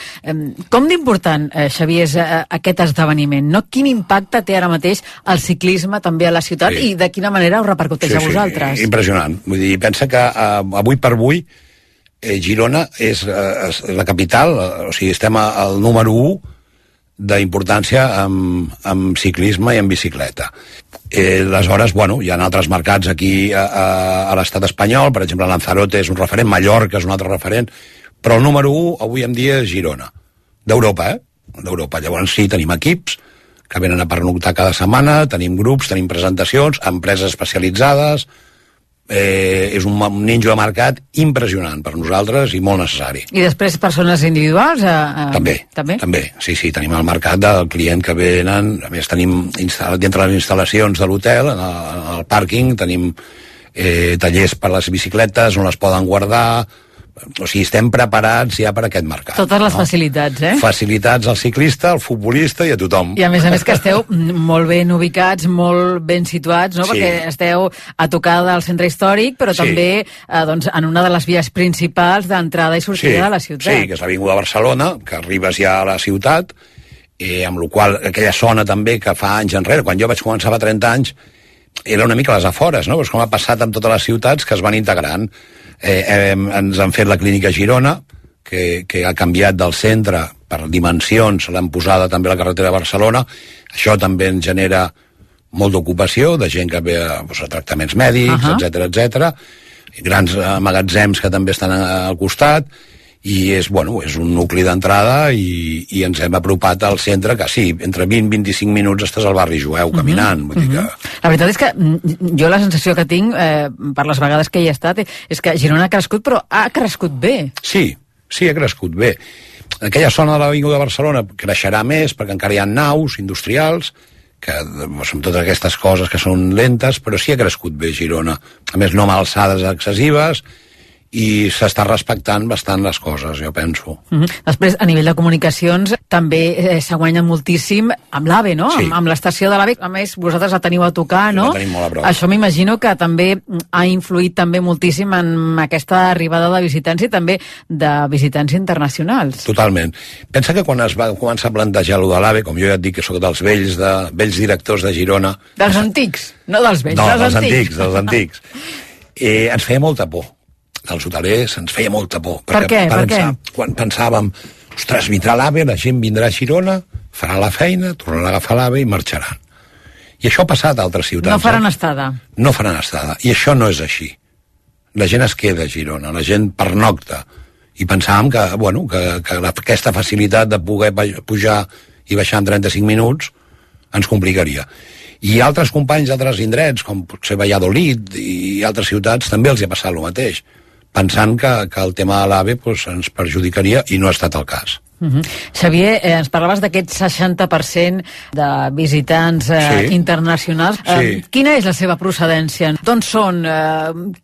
Com d'important, Xavier, és aquest esdeveniment, no? Quin impacte té ara mateix el ciclisme també a la ciutat i de quina manera us repercuteix a vosaltres? Impressionant. Vull dir, pensa que avui per avui Girona és la capital, o sigui, estem al número 1 d'importància amb ciclisme i amb bicicleta. Aleshores, bueno, hi ha altres mercats aquí a l'estat espanyol, per exemple, Lanzarote és un referent, Mallorca és un altre referent, però el número 1 avui en dia és Girona, d'Europa, d'Europa. Llavors sí, tenim equips que venen a pernoctar cada setmana, tenim grups, tenim presentacions, empreses especialitzades. És un ninjo de mercat impressionant per nosaltres i molt necessari. I després persones individuals? També. Sí, tenim el mercat del client que venen. A més, tenim dintre les instal·lacions de l'hotel, en el pàrquing, tenim tallers per les bicicletes on les poden guardar. O sigui, estem preparats ja per aquest mercat. Totes les facilitats, Facilitats al ciclista, al futbolista i a tothom. I a més que esteu molt ben ubicats, molt ben situats, no? Sí. Perquè esteu a tocar del centre històric, però també en una de les vies principals d'entrada i sortida de la ciutat. Sí, que és l'Avinguda Barcelona, que arribes ja a la ciutat, amb la qual aquella zona també que fa anys enrere, quan jo vaig començar fa 30 anys, era una mica a les afores, no? Però és com ha passat amb totes les ciutats que es van integrant. Ens han fet la clínica Girona, que ha canviat del centre per dimensions, l'han posada també a la carretera de Barcelona. Això també ens genera molt d'ocupació, de gent que ve a tractaments mèdics, etc. Grans magatzems que també estan al costat, i és un nucli d'entrada i ens hem apropat al centre, que sí, entre 20 i 25 minuts estàs al barri jueu caminant. Vull dir que... La veritat és que jo la sensació que tinc, per les vegades que hi he estat, és que Girona ha crescut, però ha crescut bé. Sí, ha crescut bé. Aquella zona de l'Avinguda de Barcelona creixerà més, perquè encara hi ha naus industrials, que són totes aquestes coses que són lentes, però sí ha crescut bé Girona. A més, no amb alçades excessives, i s'està respectant bastant les coses, jo penso. Després, a nivell de comunicacions, també s'ha guanyat moltíssim amb l'AVE, no? Sí. Amb l'estació de l'AVE. A més, vosaltres la teniu a tocar, no? La tenim molt a prop. Això m'imagino que també ha influït també moltíssim en aquesta arribada de visitants i també de visitants internacionals. Totalment. Pensa que quan es va començar a plantejar allò de l'AVE, com jo ja et dic que sóc dels vells directors de Girona... Dels antics, no dels vells, no, dels antics. Ens feia molta por. Dels hotelers ens feia molta por. Per què? Quan pensàvem, ostres, vindrà l'AVE, la gent vindrà a Girona, farà la feina, tornarà a agafar l'AVE i marxaran. I això ha passat a altres ciutats. No faran estada. No faran estada. I això no és així. La gent es queda a Girona, la gent pernocta. I pensàvem que aquesta facilitat de poder pujar i baixar en 35 minuts ens complicaria. I altres companys d'altres indrets, com potser Valladolid i altres ciutats, també els ha passat el mateix, pensant que el tema de l'AVE ens perjudicaria, i no ha estat el cas. Xavier, ens parlaves d'aquest 60% de visitants internacionals. Quina és la seva procedència? D'on són?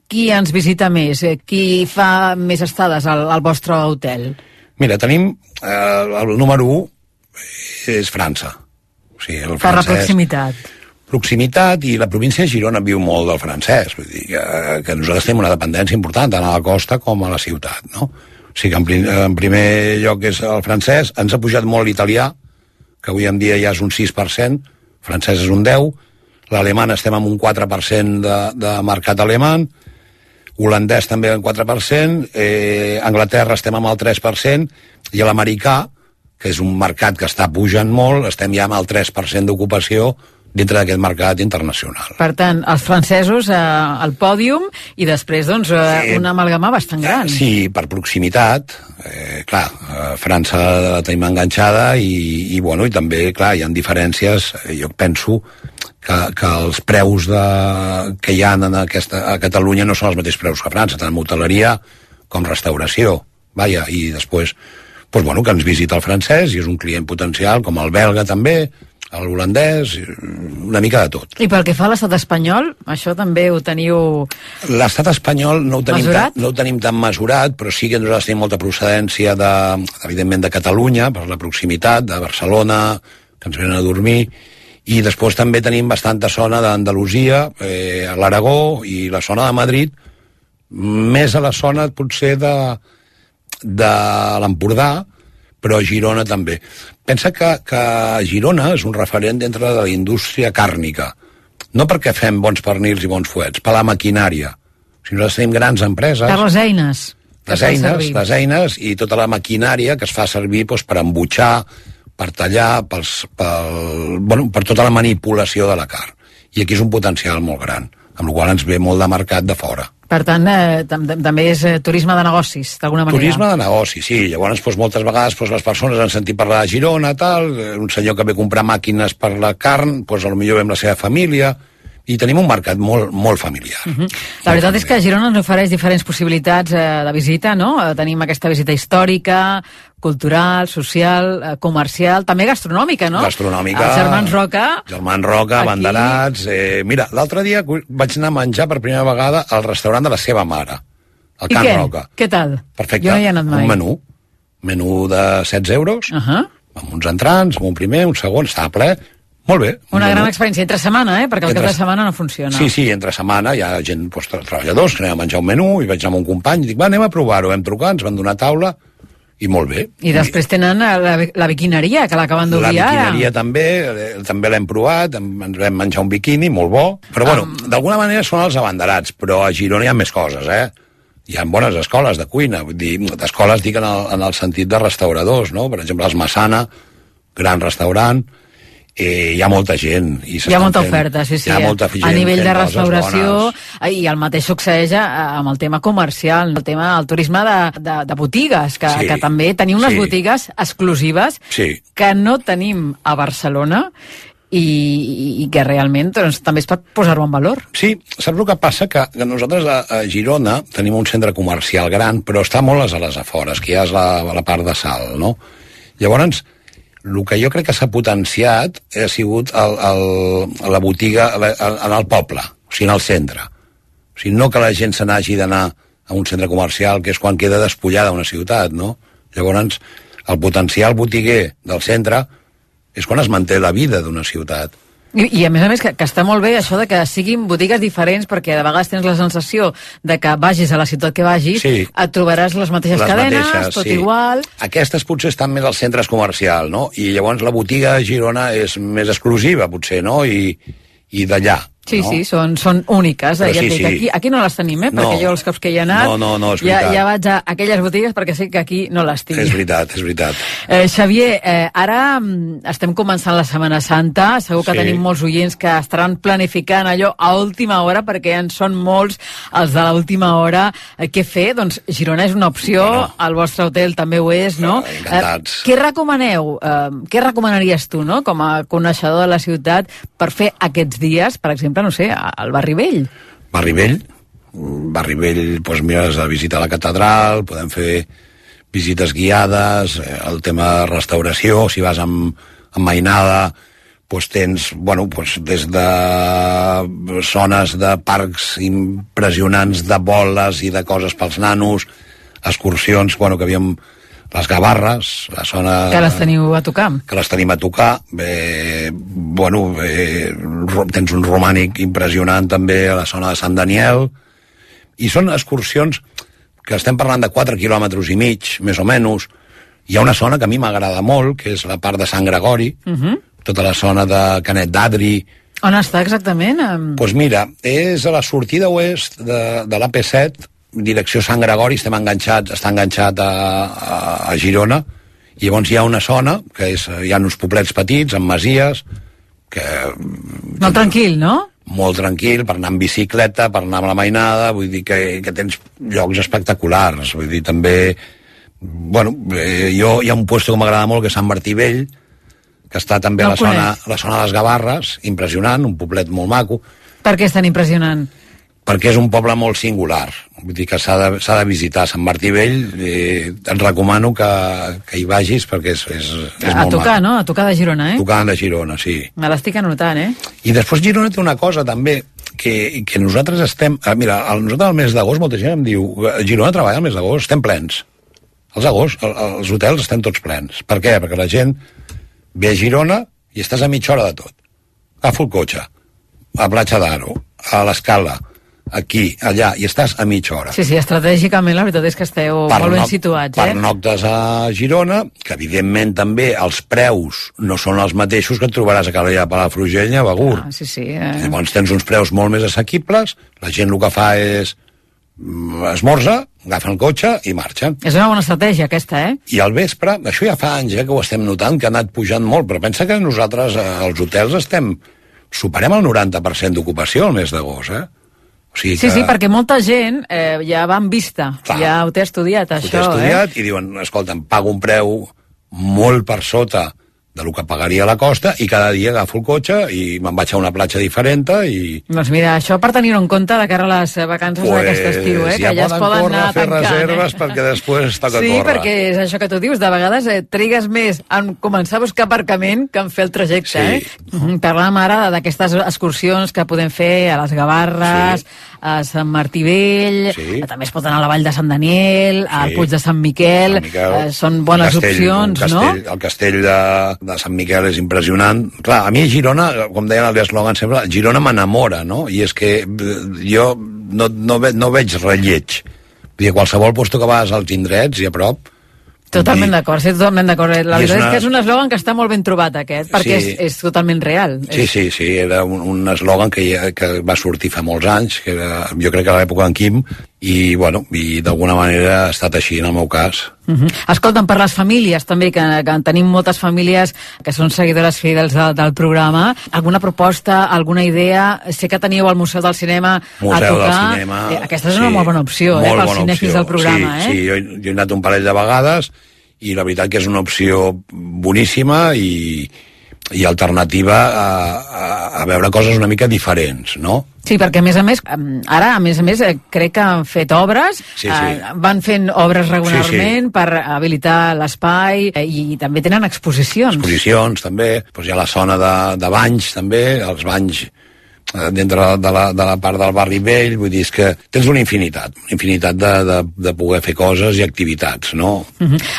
Qui ens visita més? Qui fa més estades al vostre hotel? Mira, tenim el número 1 és França. O sigui, el per la proximitat. Proximitat, i la província de Girona viu molt del francès, vull dir que nosaltres tenim una dependència important tant a la costa com a la ciutat, no? O sigui que en primer lloc és el francès, ens ha pujat molt l'italià, que avui en dia ja és un 6%, francès és un 10%, l'alemany estem amb un 4% de mercat alemany, holandès també un 4%, Anglaterra estem amb el 3%, i l'americà, que és un mercat que està pujant molt, estem ja amb el 3% d'ocupació dintre d'aquest mercat internacional. Per tant, els francesos al pòdium i després, una amalgama bastant gran. Sí, per proximitat. França la tenim enganxada i també, clar, hi ha diferències. Jo penso que els preus que hi ha a Catalunya no són els mateixos preus que a França, tant en hoteleria com restauració. I després, que ens visita el francès i és un client potencial, com el belga també, l'holandès, una mica de tot. I pel que fa a l'estat espanyol, això també ho teniu... L'estat espanyol no ho tenim tan mesurat, però sí que nosaltres tenim molta procedència, evidentment, de Catalunya, per la proximitat, de Barcelona, que ens venen a dormir, i després també tenim bastanta zona d'Andalusia, a l'Aragó i la zona de Madrid, més a la zona, potser, de l'Empordà, però a Girona també. Pensa que Girona és un referent dintre de la indústria càrnica. No perquè fem bons pernils i bons fuets, per la maquinària. Si nosaltres tenim grans empreses... Per les eines. Les eines i tota la maquinària que es fa servir per embutxar, per tallar, per tota la manipulació de la carn. I aquí és un potencial molt gran, amb la qual ens ve molt de mercat de fora. Per tant, també és turisme de negocis, d'alguna manera. Turisme de negocis, sí. Llavors, moltes vegades les persones han sentit parlar de Girona, tal, un senyor que ve a comprar màquines per la carn, potser ve amb la seva família, i tenim un mercat molt familiar. La veritat és que Girona ens ofereix diferents possibilitats de visita, no? Tenim aquesta visita històrica, cultural, social, comercial, també gastronòmica, no? Gastronòmica. Els Germans Roca. Germans Roca, abanderats. Mira, l'altre dia vaig anar a menjar per primera vegada al restaurant de la seva mare, al Can Roca. Què tal? Perfecte. Jo no hi he anat mai. Un menú de 16 euros, amb uns entrants, amb un primer, un segon, estava ple. Molt bé. Una gran experiència entre setmana, perquè el cap de setmana no funciona. Sí, entre setmana hi ha gent, treballadors, que anem a menjar un menú, i vaig anar amb un company, i dic, anem a provar-ho, vam trucar, ens van donar taula, i molt bé. I després tenen la biquineria, que l'acaben d'obrir ara. La biquineria també l'hem provat, ens vam menjar un biquini, molt bo, però bueno, d'alguna manera són els abanderats, però a Girona hi ha més coses, Hi ha bones escoles de cuina, vull dir, d'escoles dic en el sentit de restauradors, no? Per exemple, els Massana, gran restaurant, hi ha molta gent. Hi ha molta oferta, sí. Hi ha molta gent a nivell de restauració, i el mateix succeeix amb el tema comercial, el turisme de botigues, que també tenim unes botigues exclusives que no tenim a Barcelona i que realment també es pot posar-ho en valor. Sí, saps el que passa? Que nosaltres a Girona tenim un centre comercial gran, però està molt a les afores, que ja és la part de Salt, no? Llavors, el que jo crec que s'ha potenciat ha sigut la botiga en el poble, o sigui, en el centre. O sigui, no que la gent se n'hagi d'anar a un centre comercial, que és quan queda despullada una ciutat, no? Llavors, el potencial botiguer del centre és quan es manté la vida d'una ciutat. I a més, que està molt bé això de que siguin botigues diferents, perquè de vegades tens la sensació de que vagis a la ciutat que vagis, et trobaràs les mateixes cadenes, tot igual. Aquestes potser estan més als centres comercials, no? I llavors la botiga a Girona és més exclusiva, potser, no? I d'allà. Sí, són úniques. Aquí no les tenim, perquè jo els cops que hi he anat és veritat. Ja vaig a aquelles botigues perquè sé que aquí no les tinc. És veritat. Xavier, ara estem començant la Setmana Santa, segur que tenim molts oients que estaran planificant allò a última hora, perquè en són molts els de l'última hora. Què fer? Doncs Girona és una opció, el vostre hotel també ho és, no? Encantats. Què recomaneu? Què recomanaries tu, no?, com a coneixedor de la ciutat, per fer aquests dies, per exemple, no sé, al Barri Vell? Barri Vell, doncs mira, has de visitar la catedral, podem fer visites guiades, el tema de restauració, si vas amb mainada, doncs tens, des de zones de parcs impressionants de boles i de coses pels nanos, excursions, que havíem les Gavarres, la zona... Que les teniu a tocar. Que les tenim a tocar. Tens un romànic impressionant també a la zona de Sant Daniel, i són excursions que estem parlant de 4 quilòmetres i mig, més o menys. Hi ha una zona que a mi m'agrada molt, que és la part de Sant Gregori, tota la zona de Canet d'Adri. On està exactament? Doncs mira, és a la sortida oest de l'AP7, direcció Sant Gregori, està enganxat a Girona, i llavors hi ha una zona que hi ha uns poblets petits amb masies molt tranquil, no? Molt tranquil, per anar amb bicicleta, per anar amb la mainada, vull dir que tens llocs espectaculars, vull dir també hi ha un lloc que m'agrada molt, que és Sant Martí Vell, que està també a la zona de les Gavarres, impressionant, un poblet molt maco. Per què és tan impressionant? Perquè és un poble molt singular, vull dir que s'ha de visitar. Sant Martí Vell, et recomano que hi vagis, perquè és molt tocar, maco. No? A tocar de Girona, Tocant de Girona, sí. Me l'estic anotant, I després Girona té una cosa també, que nosaltres estem... Mira, nosaltres al mes d'agost, molta gent em diu, Girona treballa al mes d'agost, estem plens. Els hotels estem tots plens. Per què? Perquè la gent ve a Girona i estàs a mitja hora de tot. Agafo el cotxe, a Platja d'Aro, a l'Escala, aquí, allà, i estàs a mitja hora. Sí, estratègicament la veritat és que esteu molt ben situats. Pernoctes a Girona, que evidentment també els preus no són els mateixos que et trobaràs a Calella, Palafrugell i a Begur. Llavors tens uns preus molt més assequibles, la gent el que fa és esmorza, agafen el cotxe i marxen. És una bona estratègia aquesta, I al vespre, això ja fa anys que ho estem notant, que ha anat pujant molt, però pensa que nosaltres als hotels superem el 90% d'ocupació al mes d'agost, sigui que... Sí, perquè molta gent ja va en vista, ja ho té estudiat, això. Ho té estudiat i diuen, escolta'm, pago un preu molt per sota del que pagaria a la costa i cada dia agafo el cotxe i me'n vaig a una platja diferent i... Doncs mira, això per tenir-ho en compte de cara a les vacances d'aquest estiu, que ja es poden anar a fer reserves perquè després toca córrer. Sí, perquè és això que tu dius, de vegades trigues més en començar a buscar aparcament que en fer el trajecte, Parlàvem ara d'aquestes excursions que podem fer a les Gavarres, a Sant Martí Vell, també es pot anar a la Vall de Sant Daniel, al Puig de Sant Miquel, són bones opcions, no? El castell de Sant Miquel és impressionant. Clar, a mi Girona, com deien el eslògan sempre, Girona m'enamora, no? I és que jo no veig relleig. Vull dir, qualsevol lloc que vas als indrets i a prop... Totalment d'acord, sí, totalment d'acord. La veritat és que és un eslògan que està molt ben trobat, aquest, perquè és totalment real. Sí, era un eslògan que va sortir fa molts anys, que era, jo crec que a l'època d'en Quim, i d'alguna manera ha estat així en el meu cas. Escolta'm, per les famílies també, que tenim moltes famílies que són seguidores fidels del programa, alguna proposta, alguna idea? Sé que teníeu al Museu del Cinema a tocar. Del Cinema, aquesta és una molt bona opció, pels cinèfils del programa. Sí, jo he anat un parell de vegades i la veritat que és una opció boníssima i alternativa a veure coses una mica diferents, no? Sí, perquè a més, ara, crec que han fet obres, van fent obres regularment per habilitar l'espai i també tenen exposicions. Exposicions, també. Hi ha la zona de banys, també, els banys dintre de la part del barri vell, vull dir, és que tens una infinitat de poder fer coses i activitats, no?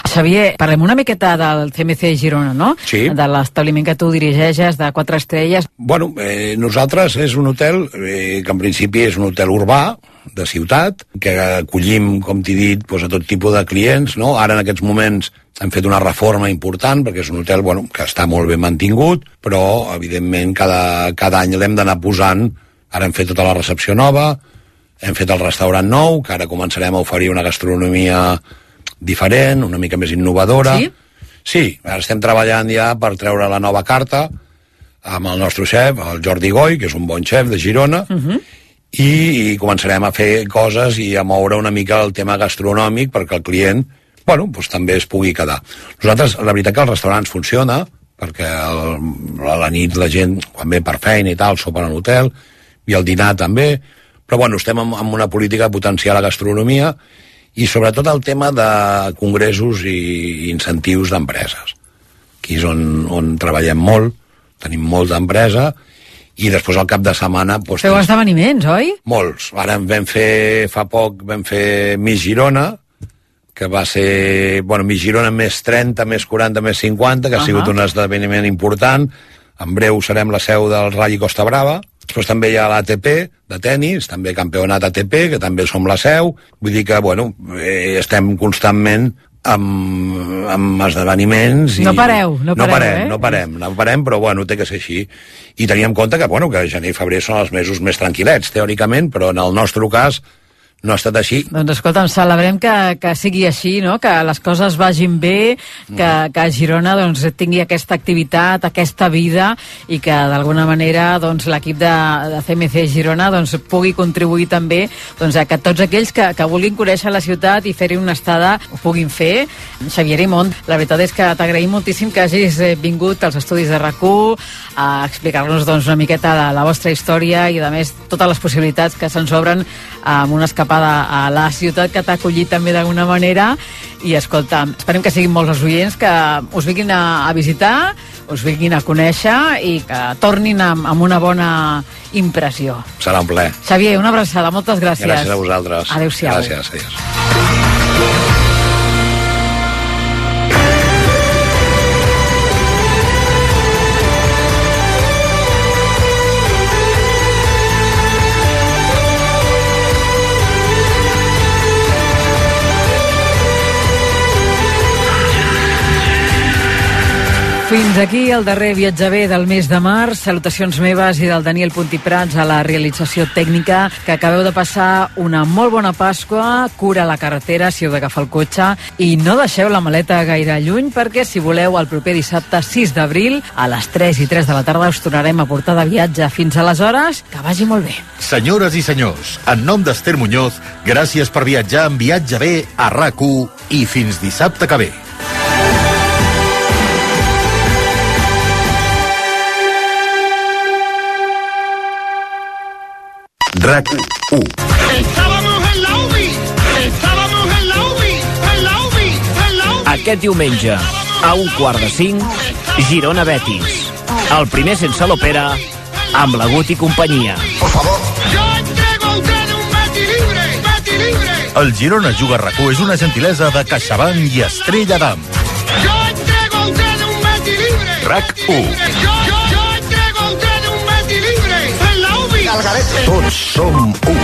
Xavier, parlem una miqueta del CMC Girona, no? Sí. De l'establiment que tu dirigeixes, de 4 estrelles. Bueno, nosaltres és un hotel que en principi és un hotel urbà, de ciutat, que acollim, com t'he dit, a tot tipus de clients, no? Ara en aquests moments hem fet una reforma important perquè és un hotel que està molt ben mantingut, però evidentment cada any l'hem d'anar posant. Ara hem fet tota la recepció nova, hem fet el restaurant nou, que ara començarem a oferir una gastronomia diferent, una mica més innovadora. Sí? Sí, ara estem treballant ja per treure la nova carta amb el nostre xef, el Jordi Goy, que és un bon xef de Girona, i començarem a fer coses i a moure una mica el tema gastronòmic perquè el client també es pugui quedar. Nosaltres, la veritat que el restaurant funciona, perquè a la nit la gent, quan ve per feina i tal, sopa a l'hotel, i el dinar també, però estem amb una política de potenciar la gastronomia i sobretot el tema de congressos i incentius d'empreses. Aquí és on treballem molt, tenim molta empresa, i després al cap de setmana... Feu esdeveniments, oi? Molts. Ara fa poc vam fer Miss Girona, que va ser, Miss Girona més 30, més 40, més 50, que ha sigut un esdeveniment important. En breu serem la seu del Rally Costa Brava. Després també hi ha l'ATP de tennis, també campionat ATP, que també som la seu. Vull dir que, estem constantment amb esdeveniments i... No parem, però té que ser així. I teníem en compte que gener i febrer són els mesos més tranquil·lets, teòricament, però en el nostre cas no ha estat així. Doncs escolta'm, celebrem que sigui així, no? Que les coses vagin bé, que Girona tingui aquesta activitat, aquesta vida, i que d'alguna manera l'equip de CMC Girona pugui contribuir també a que tots aquells que vulguin conèixer la ciutat i fer-hi una estada ho puguin fer. Xavier Imont, la veritat és que t'agraïm moltíssim que hagis vingut als estudis de RAC1 a explicar-nos una miqueta la vostra història i, a més, totes les possibilitats que se'ns obren amb una escapada a la ciutat que t'ha acollit també d'alguna manera. I escolta, esperem que siguin molts els oients que us vinguin a visitar, us vinguin a conèixer i que tornin amb una bona impressió. Serà un plaer. Xavier, una abraçada, moltes gràcies. Gràcies a vosaltres. Adéu-siau. Gràcies, adéu. Fins aquí el darrer viatge bé del mes de març. Salutacions meves i del Daniel Puntiprats a la realització tècnica, que acabeu de passar una molt bona Pasqua, cura la carretera si heu d'agafar el cotxe i no deixeu la maleta gaire lluny, perquè si voleu el proper dissabte 6 d'abril a les 3 i 3 de la tarda us tornarem a portar de viatge. Fins aleshores, que vagi molt bé. Senyores i senyors, en nom d'Ester Muñoz, gràcies per viatjar amb Viatge bé a RAC1 i fins dissabte que ve. RAC1. Estábamos en la UBI, Aquest diumenge, a 4:45, Girona-Betis. El primer sense l'Opera, amb la Gut i companyia. Por favor. Yo entrego a usted un Betty libre, Betty libre. El Girona Juga a RAC1 és una gentilesa de CaixaBank i Estrella d'Am. Yo entrego a usted un Betty libre. RAC1. Yo entrego a usted un Betty libre. En la UBI. Tots som un.